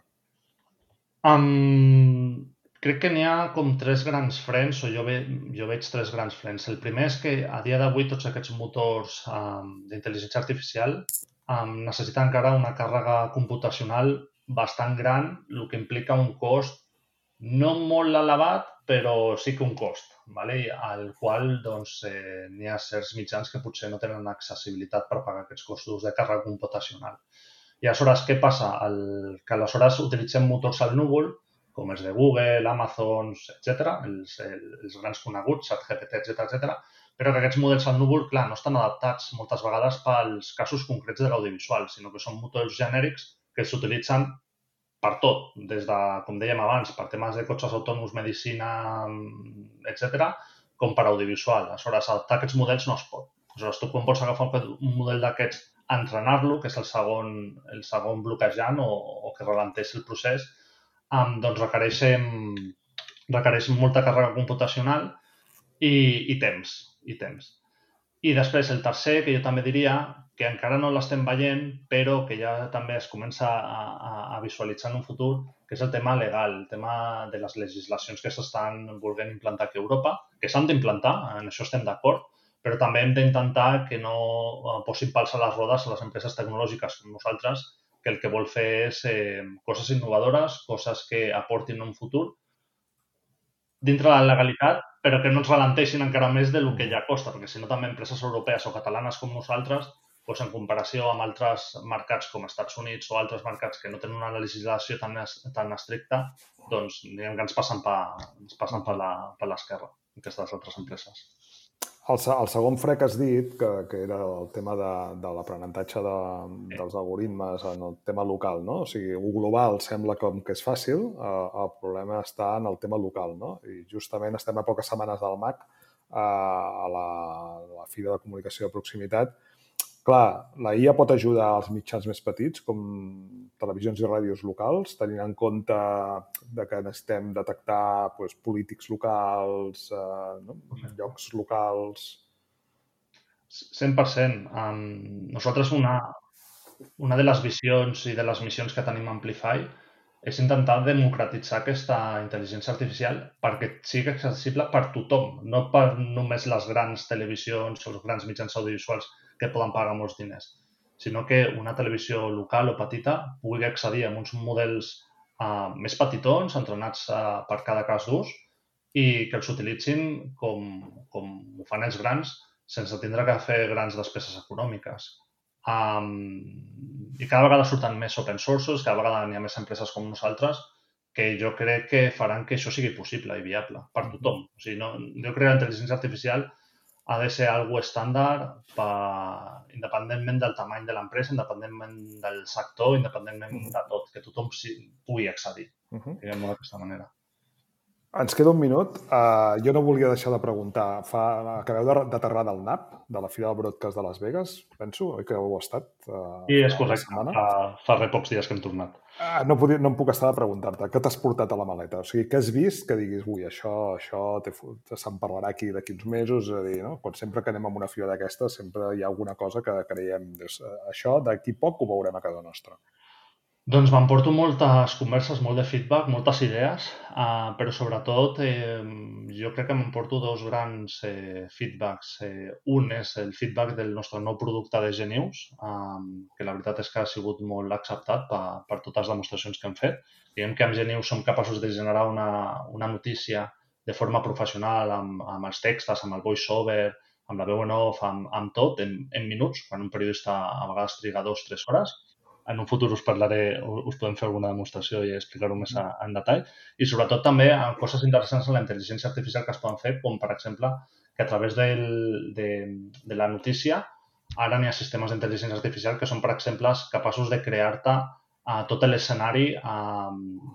Crec que n'hi ha com 3 grans frens, o jo veig 3 grans frens. El primer és que a dia d'avui tots aquests motors d'intel·ligència artificial necessiten encara una càrrega computacional bastant gran, el que implica un cost no molt elevat, però sí que un cost, al qual n'hi ha certs mitjans que potser no tenen accessibilitat per pagar aquests costos de càrrega computacional. I aleshores, què passa? Que aleshores utilitzem motors al núvol, com els de Google, Amazon, etc., els grans coneguts, ChatGPT, etc., però que aquests models al núvol, clar, no estan adaptats moltes vegades pels casos concrets de l'audiovisual, sinó que són motors genèrics que s'utilitzen per tot, des de, com dèiem abans, per temes de cotxes autònoms, medicina, etc., com per audiovisual. Aleshores, adaptar aquests models no es pot. Aleshores, tu quan vols agafar un model d'aquests, entrenar-lo, que és el segon bloquejant o que ralenteix el procés, doncs requereix molta càrrega computacional i temps. I després el tercer, que jo també diria, que encara no l'estem veient, però que ja també es comença a visualitzar en un futur, que és el tema legal, el tema de les legislacions que s'estan volent implantar aquí a Europa, que s'han d'implantar, en això estem d'acord, però també hem d'intentar que no posin pals a les rodes a les empreses tecnològiques com nosaltres, que el que vol fer és coses innovadores, coses que aportin un futur dintre la legalitat, però que no ens ralenteixin encara més del que ja costa, perquè si no també empreses europees o catalanes com nosaltres, doncs en comparació amb altres mercats com Estats Units o altres mercats que no tenen una legislació tan estricta, doncs diguem que ens passen per l'esquerra aquestes altres empreses. El segon fre que has dit, que era el tema de l'aprenentatge dels algoritmes en el tema local, no? O sigui, el global sembla com que és fàcil, el problema està en el tema local, no? I justament estem a poques setmanes del MAC, a la Fira de Comunicació de Proximitat. Clar, la IA pot ajudar als mitjans més petits, com televisions i ràdios locals, tenint en compte que necessitem detectar polítics locals, llocs locals... 100%. Nosaltres una de les visions i de les missions que tenim a Amplify és intentar democratitzar aquesta intel·ligència artificial perquè sigui accessible per tothom, no per només les grans televisions o els grans mitjans audiovisuals que poden pagar molts diners, sinó que una televisió local o petita pugui accedir a uns models més petitons, entrenats per cada cas d'ús, i que els utilitzin com ho fan els grans, sense tindre que fer grans despeses econòmiques. I cada vegada surten més open sources, cada vegada n'hi ha més empreses com nosaltres que jo crec que faran que això sigui possible i viable per tothom. O sigui, jo crec que la intel·ligència artificial ha de ser algo estàndard independentment del tamany de l'empresa, independentment del sector, independentment de tot, que tothom pugui accedir, diguem-ho d'aquesta manera. Ens queda un minut. Jo no volia deixar de preguntar. Acabeu d'aterrar del NAP, de la Fira del Broadcast de Las Vegas, penso, oi que heu estat? Sí, és correcte. Fa res pocs dies que hem tornat. No em puc estar de preguntar-te. Què t'has portat a la maleta? O sigui, què has vist que diguis, ui, això se'n parlarà aquí d'aquí uns mesos? És a dir, no? Sempre que anem a una fira d'aquesta sempre hi ha alguna cosa que creiem, això d'aquí poc ho veurem a casa nostra. Doncs m'emporto moltes converses, molt de feedback, moltes idees, però sobretot jo crec que m'emporto dos grans feedbacks. Un és el feedback del nostre nou producte de Genius, que la veritat és que ha sigut molt acceptat per totes les demostracions que hem fet. Diguem que amb Genius som capaços de generar una notícia de forma professional, amb els textos, amb el voice-over, amb la veu en off, amb tot, en minuts, quan un periodista a vegades triga 2-3 hores. En un futur us podem fer alguna demostració i explicar-ho més en detall. I sobretot també coses interessants en la intel·ligència artificial que es poden fer, com per exemple que a través de la notícia ara n'hi ha sistemes d'intel·ligència artificial que són, per exemple, capaços de crear-te tot l'escenari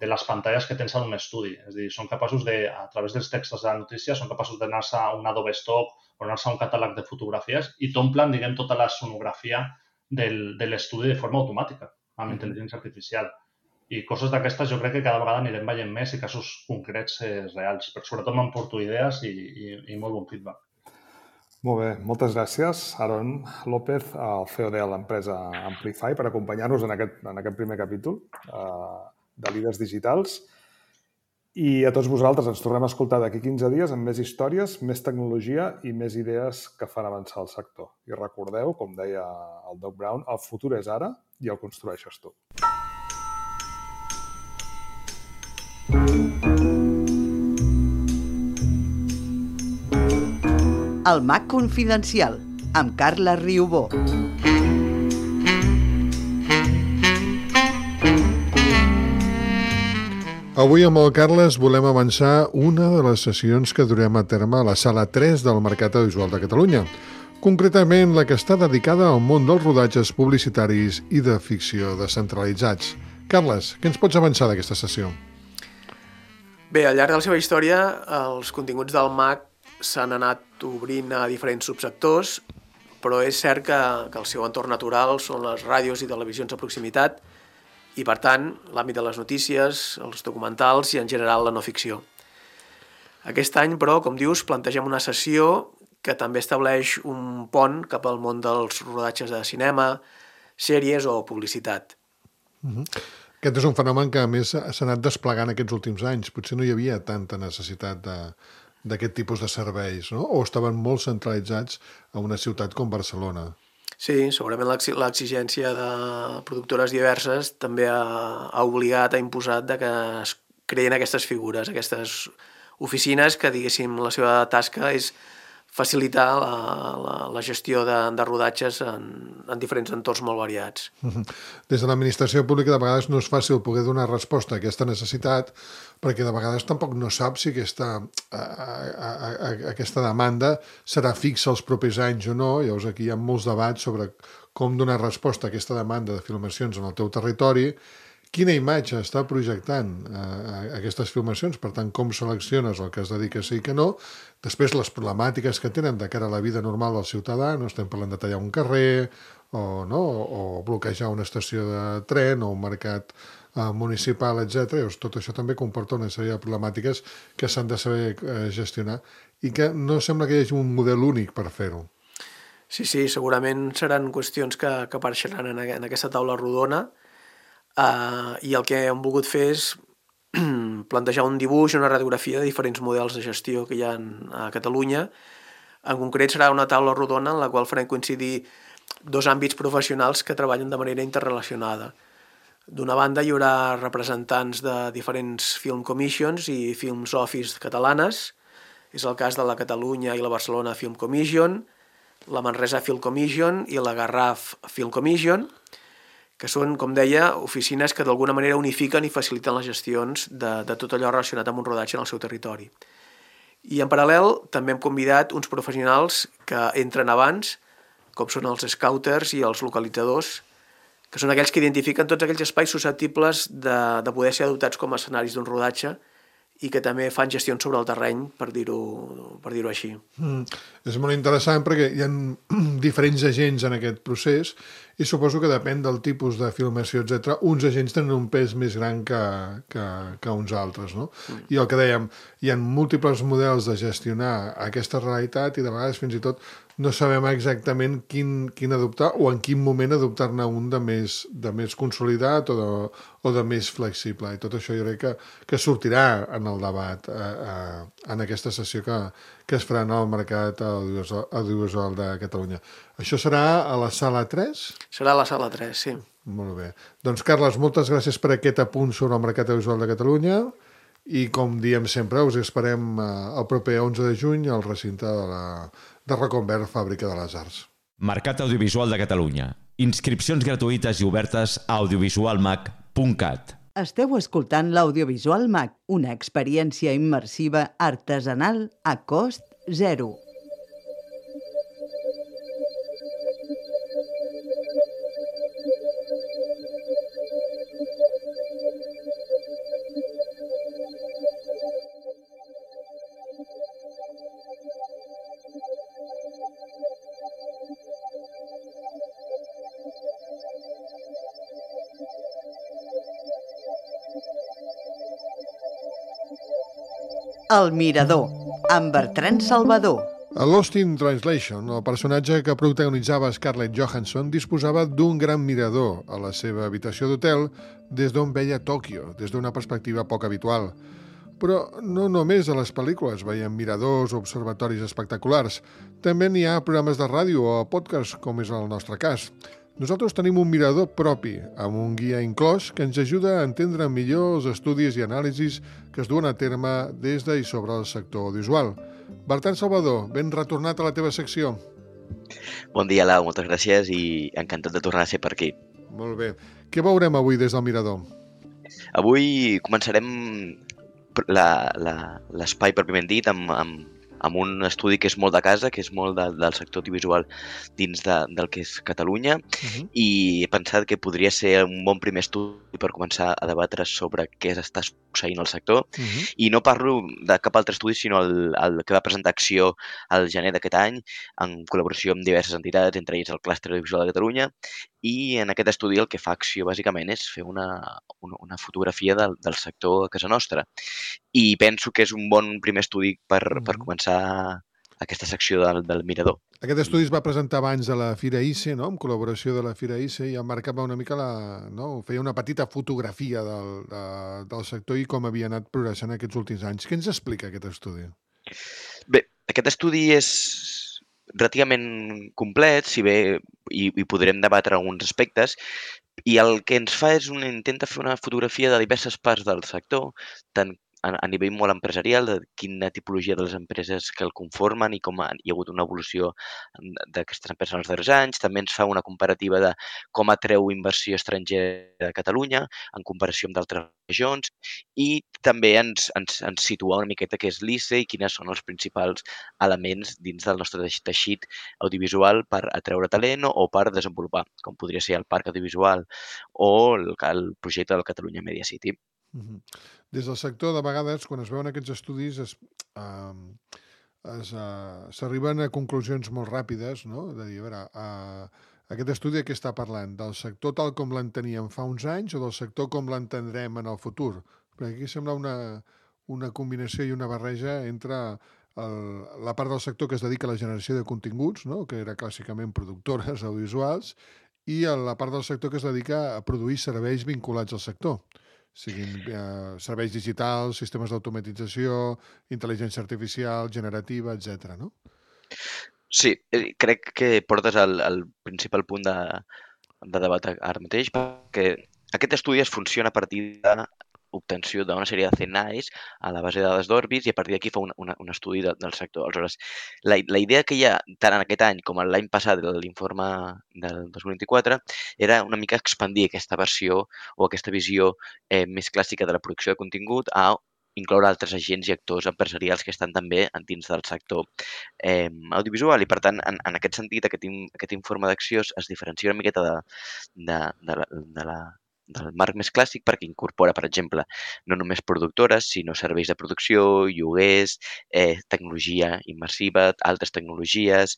de les pantalles que tens en un estudi. És a dir, són capaços de, a través dels textos de la notícia, són capaços d'anar-se a un Adobe Stock o anar-se a un catàleg de fotografies i t'omplen, diguem, tota la sonografia de l'estudi de forma automàtica, amb intel·ligència artificial. I coses d'aquestes jo crec que cada vegada anirem veient més i casos concrets reals, però sobretot m'emporto idees i molt bon feedback. Molt bé, moltes gràcies, Aaron López, el CEO de l'empresa Amplify, per acompanyar-nos en aquest primer capítol de Líders Digitals. I a tots vosaltres ens tornem a escoltar d'aquí 15 dies amb més històries, més tecnologia i més idees que fan avançar el sector. I recordeu, com deia el Doc Brown, el futur és ara i el construeixes tu. El Mac Confidencial, amb Carla Riubó. Avui amb el Carles volem avançar una de les sessions que durem a terme a la sala 3 del Mercat Audiovisual de Catalunya, concretament la que està dedicada al món dels rodatges publicitaris i de ficció descentralitzats. Carles, què ens pots avançar d'aquesta sessió? Bé, al llarg de la seva història, els continguts del MAC s'han anat obrint a diferents subsectors, però és cert que el seu entorn natural són les ràdios i televisions a proximitat, i, per tant, l'àmbit de les notícies, els documentals i, en general, la no ficció. Aquest any, però, com dius, plantegem una sessió que també estableix un pont cap al món dels rodatges de cinema, sèries o publicitat. Aquest és un fenomen que, a més, s'ha anat desplegant aquests últims anys. Potser no hi havia tanta necessitat d'aquest tipus de serveis, no? O estaven molt centralitzats a una ciutat com Barcelona. Sí, segurament l'exigència de productores diverses també ha obligat, ha imposat que es creïn aquestes figures, aquestes oficines que, diguéssim, la seva tasca és facilitar la gestió de rodatges en diferents entorns molt variats. Des de l'administració pública de vegades no és fàcil poder donar resposta a aquesta necessitat, perquè de vegades tampoc no sap si aquesta demanda serà fixa els propers anys o no. Llavors aquí hi ha molts debats sobre com donar resposta a aquesta demanda de filmacions en el teu territori, quina imatge està projectant aquestes filmacions, per tant, com selecciones el que es dedica a ser i que no, després les problemàtiques que tenen de cara a la vida normal del ciutadà, no estem parlant de tallar un carrer o bloquejar una estació de tren o un mercat municipal, etc. Llavors, tot això també comporta una sèrie de problemàtiques que s'han de saber gestionar i que no sembla que hi hagi un model únic per fer-ho. Sí, segurament seran qüestions que apareixeran en aquesta taula rodona, i el que hem volgut fer és plantejar un dibuix, una radiografia de diferents models de gestió que hi ha a Catalunya. En concret serà una taula rodona en la qual farem coincidir dos àmbits professionals que treballen de manera interrelacionada. D'una banda hi haurà representants de diferents film commissions i films office catalanes. És el cas de la Catalunya i la Barcelona Film Commission, la Manresa Film Commission i la Garraf Film Commission, que són, com deia, oficines que d'alguna manera unifiquen i faciliten les gestions de tot allò relacionat amb un rodatge en el seu territori. I en paral·lel també hem convidat uns professionals que entren abans, com són els scouters i els localitzadors, que són aquells que identifiquen tots aquells espais susceptibles de poder ser adoptats com a escenaris d'un rodatge i que també fan gestions sobre el terreny, per dir-ho així. És molt interessant perquè hi ha diferents agents en aquest procés i suposo que depèn del tipus de filmació, etc. Uns agents tenen un pes més gran que uns altres, no? I el que dèiem, hi ha múltiples models de gestionar aquesta realitat i de vegades fins i tot no sabem exactament quin adoptar o en quin moment adoptar-ne un de més consolidat o de més flexible. I tot això jo crec que sortirà en el debat en aquesta sessió que es farà en el mercat audiovisual de Catalunya. Això serà a la sala 3? Serà a la sala 3, sí. Molt bé. Doncs, Carles, moltes gràcies per aquest apunt sobre el mercat audiovisual de Catalunya i, com diem sempre, us esperem el proper 11 de juny al recinte de Reconvert, Fàbrica de les Arts. Mercat Audiovisual de Catalunya. Inscripcions gratuïtes i obertes a audiovisualmac.cat. Esteu escoltant l'Audiovisual Mac, una experiència immersiva artesanal a cost zero. El Mirador, amb Bertran Salvador. A Lost in Translation, el personatge que protagonitzava Scarlett Johansson disposava d'un gran mirador a la seva habitació d'hotel des d'on veia Tòquio, des d'una perspectiva poc habitual. Però no només a les pel·lícules veiem miradors o observatoris espectaculars. També n'hi ha programes de ràdio o podcast, com és el nostre cas. Nosaltres tenim un mirador propi, amb un guia inclòs que ens ajuda a entendre millor els estudis i anàlisis que es duen a terme des de i sobre el sector audiovisual. Bertran Salvador, ben retornat a la teva secció. Bon dia, Lau, moltes gràcies i encantat de tornar a ser per aquí. Molt bé. Què veurem avui des del mirador? Avui començarem l'espai pròpiament dit amb un estudi que és molt de casa, que és molt del sector audiovisual dins del que és Catalunya, i he pensat que podria ser un bon primer estudi per començar a debatre sobre què està succeint al sector. I no parlo de cap altre estudi, sinó el que va presentar Acció al gener d'aquest any, en col·laboració amb diverses entitats, entre ells el Clúster Audiovisual de Catalunya, i en aquest estudi el que fa Acció bàsicament és fer una fotografia del sector a casa nostra. I penso que és un bon primer estudi per començar aquesta secció del mirador. Aquest estudi es va presentar abans de la Fira ICE, no? En col·laboració de la Fira ICE, i marcava una mica feia una petita fotografia del sector i com havia anat progressant aquests últims anys. Què ens explica aquest estudi? Bé, aquest estudi és relativament complet, si bé hi podrem debatre alguns aspectes, i el que ens fa és intenta fer una fotografia de diverses parts del sector, tant a nivell molt empresarial, de quina tipologia de les empreses que el conformen i com hi ha hagut una evolució d'aquestes empreses en els darrers anys. També ens fa una comparativa de com atreu inversió estrangera a Catalunya en comparació amb d'altres regions i també ens situa una miqueta què és l'ICE i quines són els principals elements dins del nostre teixit audiovisual per atreure talent o per desenvolupar, com podria ser el parc audiovisual o el projecte del Catalunya Media City. Des del sector, de vegades, quan es veuen aquests estudis, s'arriben a conclusions molt ràpides, no? De dir, a veure, aquest estudi de què està parlant? Del sector tal com l'enteníem fa uns anys o del sector com l'entendrem en el futur? Perquè aquí sembla una combinació i una barreja entre la part del sector que es dedica a la generació de continguts, no? Que era clàssicament productores audiovisuals, i la part del sector que es dedica a produir serveis vinculats al sector, siguin serveis digitals, sistemes d'automatització, intel·ligència artificial, generativa, etc. no? Sí, crec que portes al principal punt de debat ara mateix, perquè aquest estudi es funciona a partir d'obtenció d'una sèrie de CNAEs a la base de dades d'Orbis i a partir d'aquí fa un estudi del sector. Aleshores, la idea que hi ha tant en aquest any com l'any passat de l'informe del 2024 era una mica expandir aquesta versió o aquesta visió més clàssica de la producció de contingut a incloure altres agents i actors empresarials que estan també dins del sector audiovisual i, per tant, en aquest sentit, aquest informe d'acció es diferencia una miqueta del marc més clàssic perquè incorpora, per exemple, no només productores, sinó serveis de producció, lloguers, tecnologia immersiva, altres tecnologies,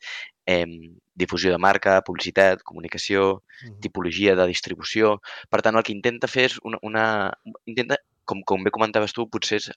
difusió de marca, publicitat, comunicació, tipologia de distribució. Per tant, el que intenta fer és intenta, com bé comentaves tu, potser és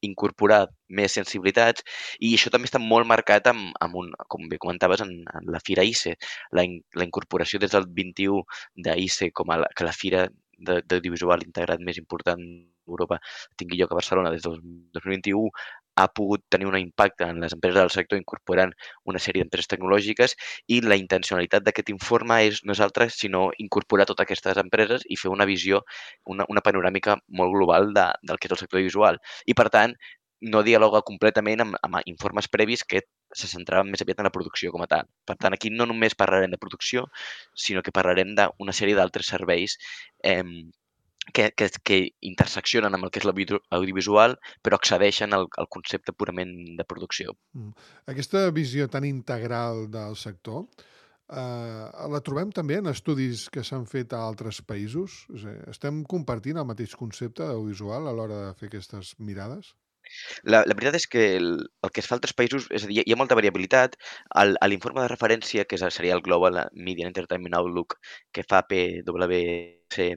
incorporar més sensibilitats i això també està molt marcat com bé comentaves, en la Fira ICE. La incorporació des del 21 d'ICE com a la fira d'audiovisual integrat més important d'Europa tingui lloc a Barcelona des del 2021 ha pogut tenir un impacte en les empreses del sector incorporant una sèrie d'empreses tecnològiques i la intencionalitat d'aquest informe no és altra sinó incorporar totes aquestes empreses i fer una visió, una panoràmica molt global del que és el sector audiovisual. I, per tant, no dialoga completament amb informes previs que se centraven més aviat en la producció com a tal. Per tant, aquí no només parlarem de producció, sinó que parlarem d'una sèrie d'altres serveis que interseccionen amb el que és l'audiovisual, però accedeixen al concepte purament de producció. Aquesta visió tan integral del sector la trobem també en estudis que s'han fet a altres països? És a dir, estem compartint el mateix concepte audiovisual a l'hora de fer aquestes mirades? La veritat és que el que es fa a altres països, és a dir, hi ha molta variabilitat. A l'informe de referència, que seria el Global Media and Entertainment Outlook, que fa PwC,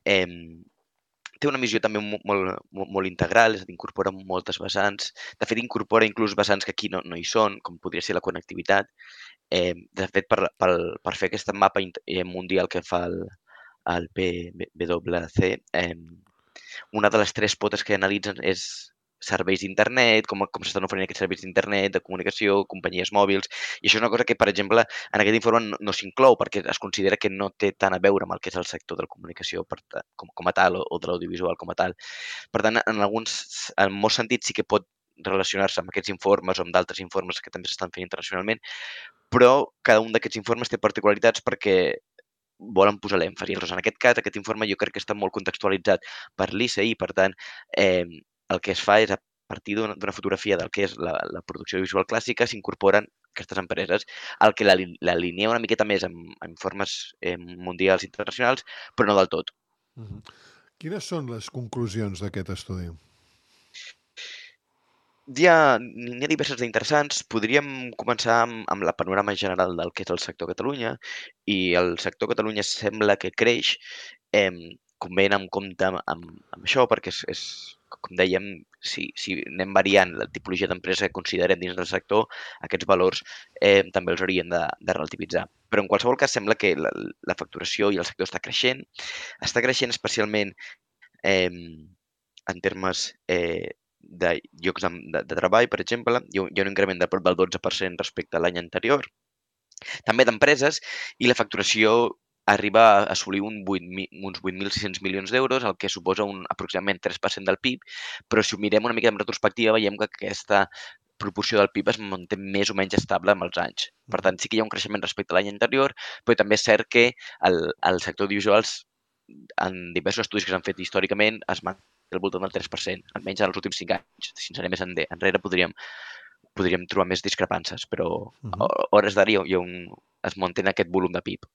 té una visió també molt integral, és a dir, incorpora moltes vessants. De fet, incorpora inclús vessants que aquí no hi són, com podria ser la connectivitat. De fet, per fer aquest mapa mundial que fa el PwC, una de les tres potes que analitzen és serveis d'internet, com s'estan oferint aquests serveis d'internet, de comunicació, companyies mòbils, i això és una cosa que, per exemple, en aquest informe no s'inclou perquè es considera que no té tant a veure amb el que és el sector de la comunicació com a tal o de l'audiovisual com a tal. Per tant, en molts sentits sí que pot relacionar-se amb aquests informes o amb d'altres informes que també s'estan fent internacionalment, però cada un d'aquests informes té particularitats perquè volen posar l'èmfasi. En aquest cas, aquest informe jo crec que està molt contextualitzat per l'ICE i, per tant, el que es fa és, a partir d'una fotografia del que és la producció audiovisual clàssica, s'incorporen aquestes empreses, el que l'alinea una miqueta més amb informes mundials i internacionals, però no del tot. Quines són les conclusions d'aquest estudi? N'hi ha diverses d'interessants. Podríem començar amb la panorama general del que és el sector Catalunya i el sector Catalunya sembla que creix, com bé anem en compte amb això, perquè com dèiem, si anem variant la tipologia d'empresa que considerem dins del sector, aquests valors també els hauríem de relativitzar. Però en qualsevol cas sembla que la facturació i el sector està creixent especialment en termes de llocs de treball, per exemple. Hi ha un increment de prop del 12% respecte a l'any anterior. També d'empreses i la facturació arriba a assolir uns 8.600 milions d'euros, el que suposa aproximadament 3% del PIB, però si ho mirem una mica en retrospectiva veiem que aquesta proporció del PIB es manté més o menys estable amb els anys. Per tant, sí que hi ha un creixement respecte a l'any anterior, però també és cert que el sector audiovisuals, en diversos estudis que s'han fet històricament, es manté al voltant del 3%, almenys en els últims 5 anys. Si ens anem més enrere podríem trobar més discrepàncies, però a hores d'ara es manté aquest volum de PIB.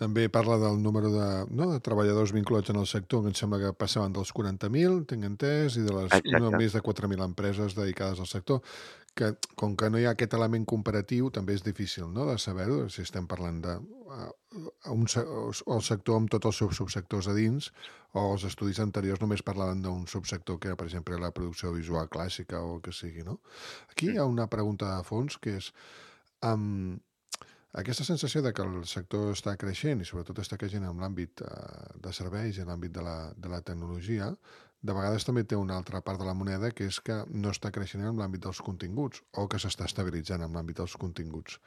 També parla del número de treballadors vinculats en el sector, que em sembla que passaven dels 40.000, tinc entès, i de les més de 4.000 empreses dedicades al sector, que com que no hi ha aquest element comparatiu, també és difícil de saber-ho, si estem parlant del sector amb tots els seus subsectors a dins, o els estudis anteriors només parlaven d'un subsector que era, per exemple, la producció visual clàssica o el que sigui. Aquí hi ha una pregunta de fons, que és aquesta sensació de que el sector està creixent, i sobretot està creixent en l'àmbit de serveis i en l'àmbit de la tecnologia, de vegades també té una altra part de la moneda, que és que no està creixent en l'àmbit dels continguts, o que s'està estabilitzant en l'àmbit dels continguts.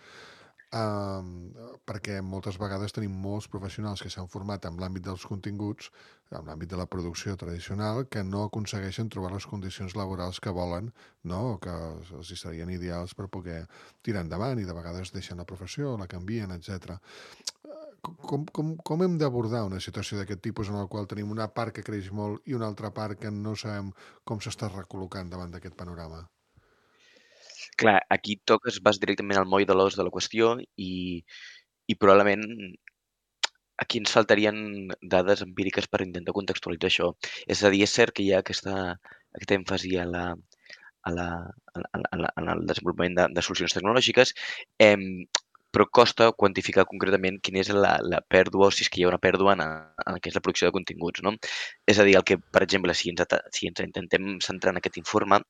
Perquè moltes vegades tenim molts professionals que s'han format en l'àmbit dels continguts, en l'àmbit de la producció tradicional, que no aconsegueixen trobar les condicions laborals que volen, o que els serien ideals per poder tirar endavant, i de vegades deixen la professió, la canvien, etc. Com hem d'abordar una situació d'aquest tipus en la qual tenim una part que creix molt i una altra part que no sabem com s'està recol·locant davant d'aquest panorama? Clar, aquí vas directament al moll de l'os de la qüestió i probablement aquí ens faltarien dades empíriques per intentar contextualitzar això. És a dir, és cert que hi ha aquest èmfasi en el desenvolupament de solucions tecnològiques, però costa quantificar concretament quina és la pèrdua, o si és que hi ha una pèrdua en el que és la producció de continguts. És a dir, per exemple, si ens intentem centrar en aquest informe,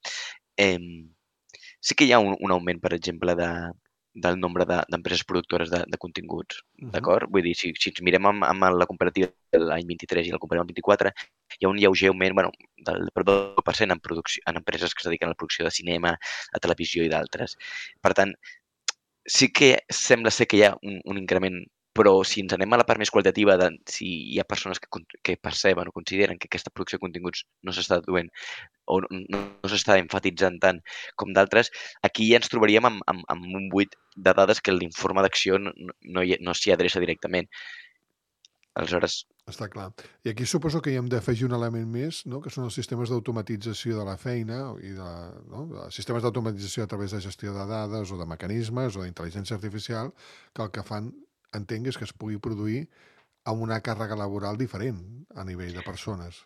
sí que hi ha un augment, per exemple, del nombre d'empreses productores de continguts, d'acord? Vull dir, si ens mirem amb la comparativa de l'any 23 i la comparem amb el 24, hi ha un lleuger augment del 2% en empreses que es dediquen a la producció de cinema, a televisió i d'altres. Per tant, sí que sembla ser que hi ha un increment, però si ens anem a la part més qualitativa de si hi ha persones que perceben o consideren que aquesta producció de continguts no s'està duent o no s'està enfatitzant tant com d'altres, aquí ja ens trobaríem amb un buit de dades que l'informe d'acció no s'hi adreça directament. Aleshores... Està clar. I aquí suposo que hi hem d'afegir un element més, que són els sistemes d'automatització de la feina i sistemes d'automatització a través de gestió de dades o de mecanismes o d'intel·ligència artificial, que el que fan, entenc, és que es pugui produir amb una càrrega laboral diferent a nivell de persones.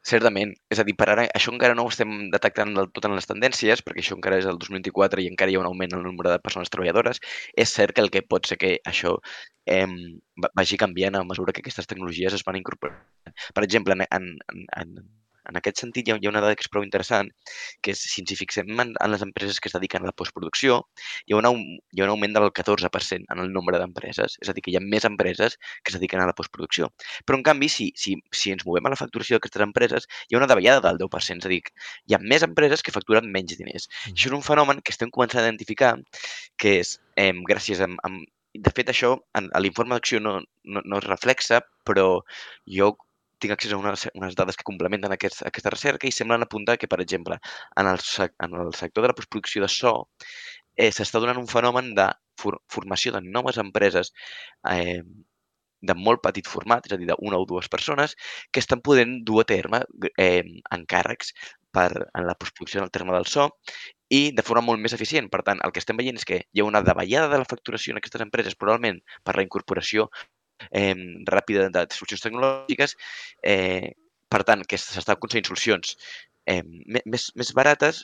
Certament. És a dir, per ara això encara no ho estem detectant del tot en les tendències, perquè això encara és el 2024 i encara hi ha un augment en el nombre de persones treballadores. És cert que el que pot ser que això vagi canviant a mesura que aquestes tecnologies es van incorporant. Per exemple, en aquest sentit hi ha una dada que és prou interessant, que és, si ens hi fixem en les empreses que es dediquen a la postproducció, hi ha un augment del 14% en el nombre d'empreses. És a dir, que hi ha més empreses que es dediquen a la postproducció. Però, en canvi, si ens movem a la facturació d'aquestes empreses, hi ha una davallada del 10%. És a dir, hi ha més empreses que facturen menys diners. Això és un fenomen que estem començant a identificar, que és, gràcies a... De fet, això a l'informe d'acció no es reflexa, però jo tinc accés a unes dades que complementen aquesta recerca i semblen apuntar que, per exemple, en el sector de la postproducció de so s'està donant un fenomen de formació de noves empreses de molt petit format, és a dir, d'una o dues persones, que estan podent dur a terme encàrrecs en la postproducció en el terme del so i de forma molt més eficient. Per tant, el que estem veient és que hi ha una davallada de la facturació en aquestes empreses, probablement per la incorporació ràpida de solucions tecnològiques, per tant, que s'estan aconseguint solucions més barates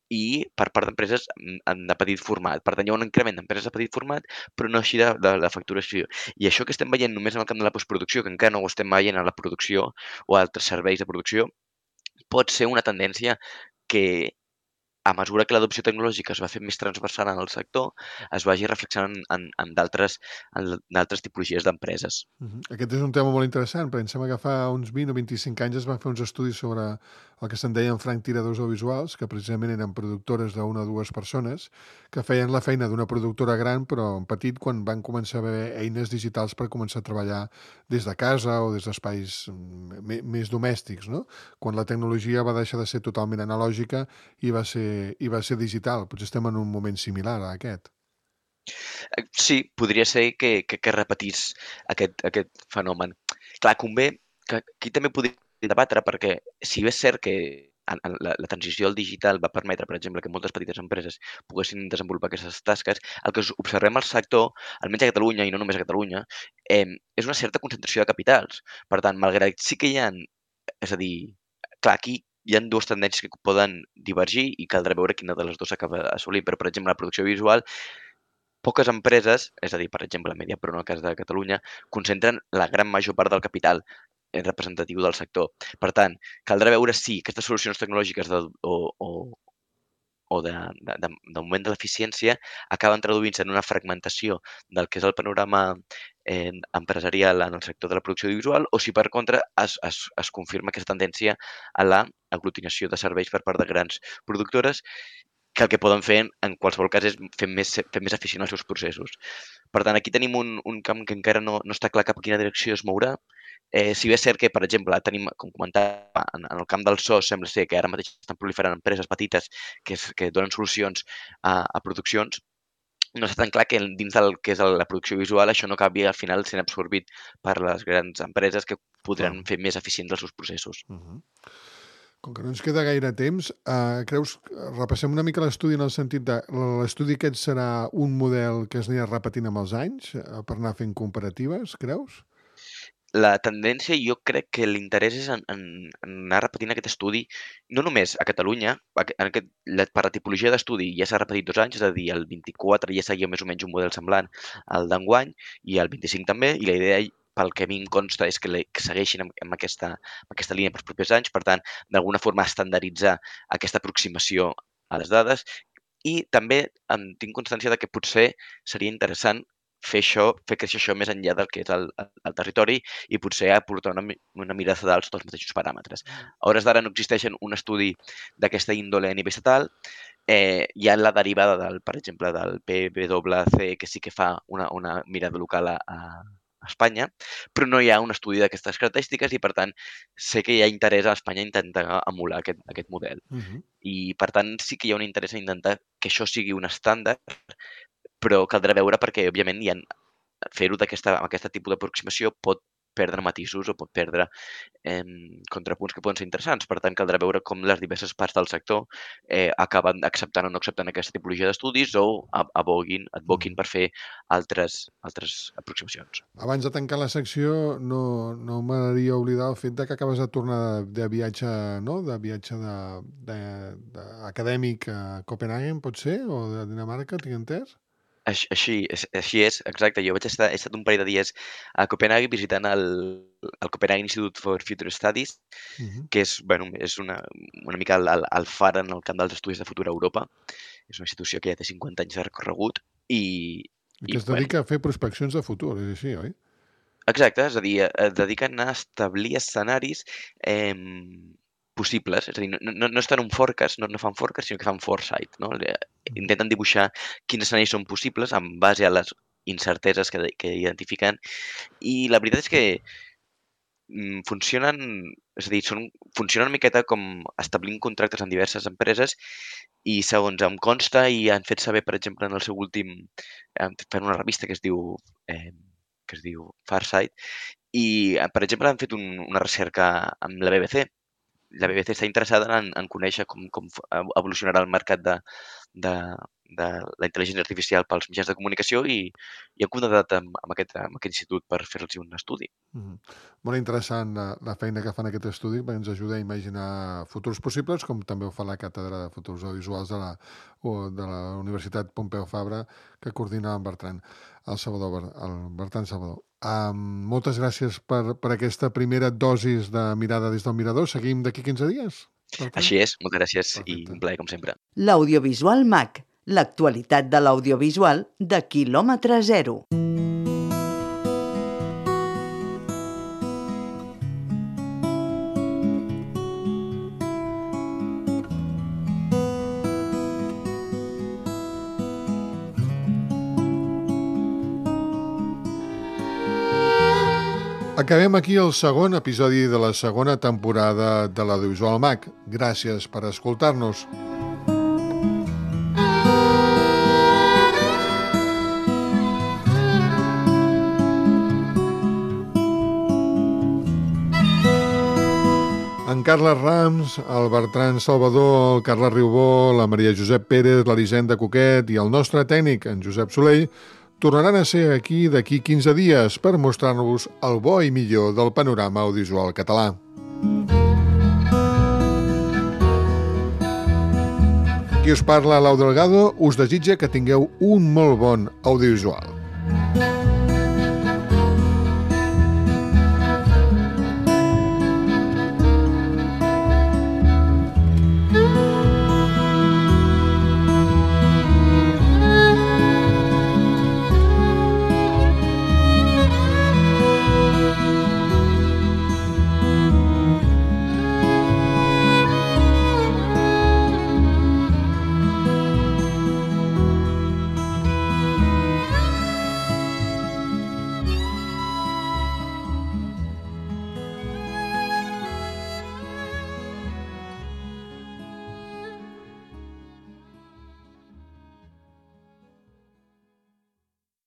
i per part d'empreses de petit format. Per tant, hi ha un increment d'empreses de petit format, però no així de la facturació. I això que estem veient només en el camp de la postproducció, que encara no ho estem veient en la producció o altres serveis de producció, pot ser una tendència que a mesura que l'adopció tecnològica es va fer més transversal en el sector, es vagi reflexionant en d'altres tipologies d'empreses. Aquest és un tema molt interessant, perquè em sembla que fa uns 20 o 25 anys es van fer uns estudis sobre el que se'n deien franctiradors audiovisuals, que precisament eren productores d'una o dues persones, que feien la feina d'una productora gran, però en petit, quan van començar a haver eines digitals per començar a treballar des de casa o des d'espais més domèstics, no? Quan la tecnologia va deixar de ser totalment analògica i va ser digital. Potser estem en un moment similar a aquest. Sí, podria ser que repetís aquest fenomen. Clar, convé que aquí també podria debatre, perquè si bé és cert que la transició al digital va permetre, per exemple, que moltes petites empreses poguessin desenvolupar aquestes tasques, el que observem al sector, almenys a Catalunya, i no només a Catalunya, és una certa concentració de capitals. Per tant, malgrat sí que hi ha... És a dir, clar, aquí hi ha dues tendències que poden divergir i caldrà veure quina de les dues s'acaba assolint. Però, per exemple, la producció visual, poques empreses, és a dir, per exemple, Mediapro, en el cas de Catalunya, concentren la gran major part del capital representatiu del sector. Per tant, caldrà veure si aquestes solucions tecnològiques d'augment de l'eficiència acaben traduint-se en una fragmentació del que és el panorama empresarial en el sector de la producció audiovisual, o si per contra es confirma aquesta tendència a l'aglutinació de serveis per part de grans productores, que el que poden fer en qualsevol cas és fer més eficient els seus processos. Per tant, aquí tenim un camp que encara no està clar cap a quina direcció es mourà. Si bé és cert que, per exemple, tenim, com comentava, en el camp del so sembla ser que ara mateix estan proliferant empreses petites que donen solucions a produccions, no està tan clar que dins del que és la producció visual això no acabi al final sent absorbit per les grans empreses que podran fer més eficients els seus processos. Com que no ens queda gaire temps, creus, repassem una mica l'estudi en el sentit de l'estudi aquest serà un model que es anirà repetint amb els anys per anar fent comparatives, creus? La tendència, jo crec que l'interès és en anar repetint aquest estudi, no només a Catalunya, per la tipologia d'estudi ja s'ha repetit 2 anys, és a dir, el 24 ja seguia més o menys un model semblant al d'enguany, i el 25 també, i la idea, pel que a mi em consta, és que segueixin amb aquesta línia pels propers anys, per tant, d'alguna forma estandarditzar aquesta aproximació a les dades, i també tinc constància de que potser seria interessant fer créixer això més enllà del que és el territori i potser aportar una mirada d'alts dels mateixos paràmetres. A hores d'ara no existeixen un estudi d'aquesta índole a nivell estatal. Hi ha la derivada, per exemple, del PwC, que sí que fa una mirada local a Espanya, però no hi ha un estudi d'aquestes característiques i, per tant, sé que hi ha interès a Espanya a intentar emular aquest model. I, per tant, sí que hi ha un interès a intentar que això sigui un estàndard, però caldrà veure perquè, òbviament, fer-ho d'aquest tipus d'aproximació pot perdre matisos o pot perdre contrapunts que poden ser interessants. Per tant, caldrà veure com les diverses parts del sector acaben acceptant o no acceptant aquesta tipologia d'estudis o advoquin per fer altres aproximacions. Abans de tancar la secció, no m'agradaria oblidar el fet que acabes de tornar de viatge, no? De viatge acadèmic a Copenhagen, pot ser? O de Dinamarca, tinc entès? Així és, exacte. Jo he estat un parell de dies a Copenhagen visitant el Copenhagen Institute for Future Studies, que és una mica el far en el camp dels estudis de futur a Europa. És una institució que ja té 50 anys de recorregut i que es dedica a fer prospeccions de futur, és així, oi? Exacte, és a dir, es dediquen a establir escenaris possibles, és a dir, no estan en un forecast, no fan forecast, sinó que fan foresight, no? Intenten dibuixar quins escenaris són possibles en base a les incerteses que identifiquen, i la veritat és que funcionen una miqueta com establint contractes amb diverses empreses i, segons em consta, i han fet saber, per exemple, en el seu últim, fan una revista que es diu Farsight, i, per exemple, han fet una recerca amb la BBC. La BBC està interessada en conèixer com evolucionarà el mercat de la intel·ligència artificial pels mitjans de comunicació i han contactat amb aquest institut per fer-los un estudi. Molt interessant la feina que fan aquest estudi, perquè ens ajuda a imaginar futurs possibles, com també ho fa la Càtedra de Futurs Audiovisuals de la Universitat Pompeu Fabra, que coordina el Bertran Salvador. Moltes gràcies per aquesta primera dosis de Mirada des del Mirador. Seguim d'aquí 15 dies? Així és, moltes gràcies i un plaer com sempre. L'Audiovisual MAC, l'actualitat de l'audiovisual de quilòmetre zero. Acabem aquí el segon episodi de la segona temporada de l'Audiovisual MAC. Gràcies per escoltar-nos. En Carles Rams, el Bertran Salvador, el Carles Riubó, la Maria Josep Pérez, l'Elisenda Coquet i el nostre tècnic, en Josep Soleil, tornaran a ser aquí d'aquí 15 dies per mostrar-nos el bo i millor del panorama audiovisual català. Qui us parla, Lau Delgado, us desitja que tingueu un molt bon audiovisual.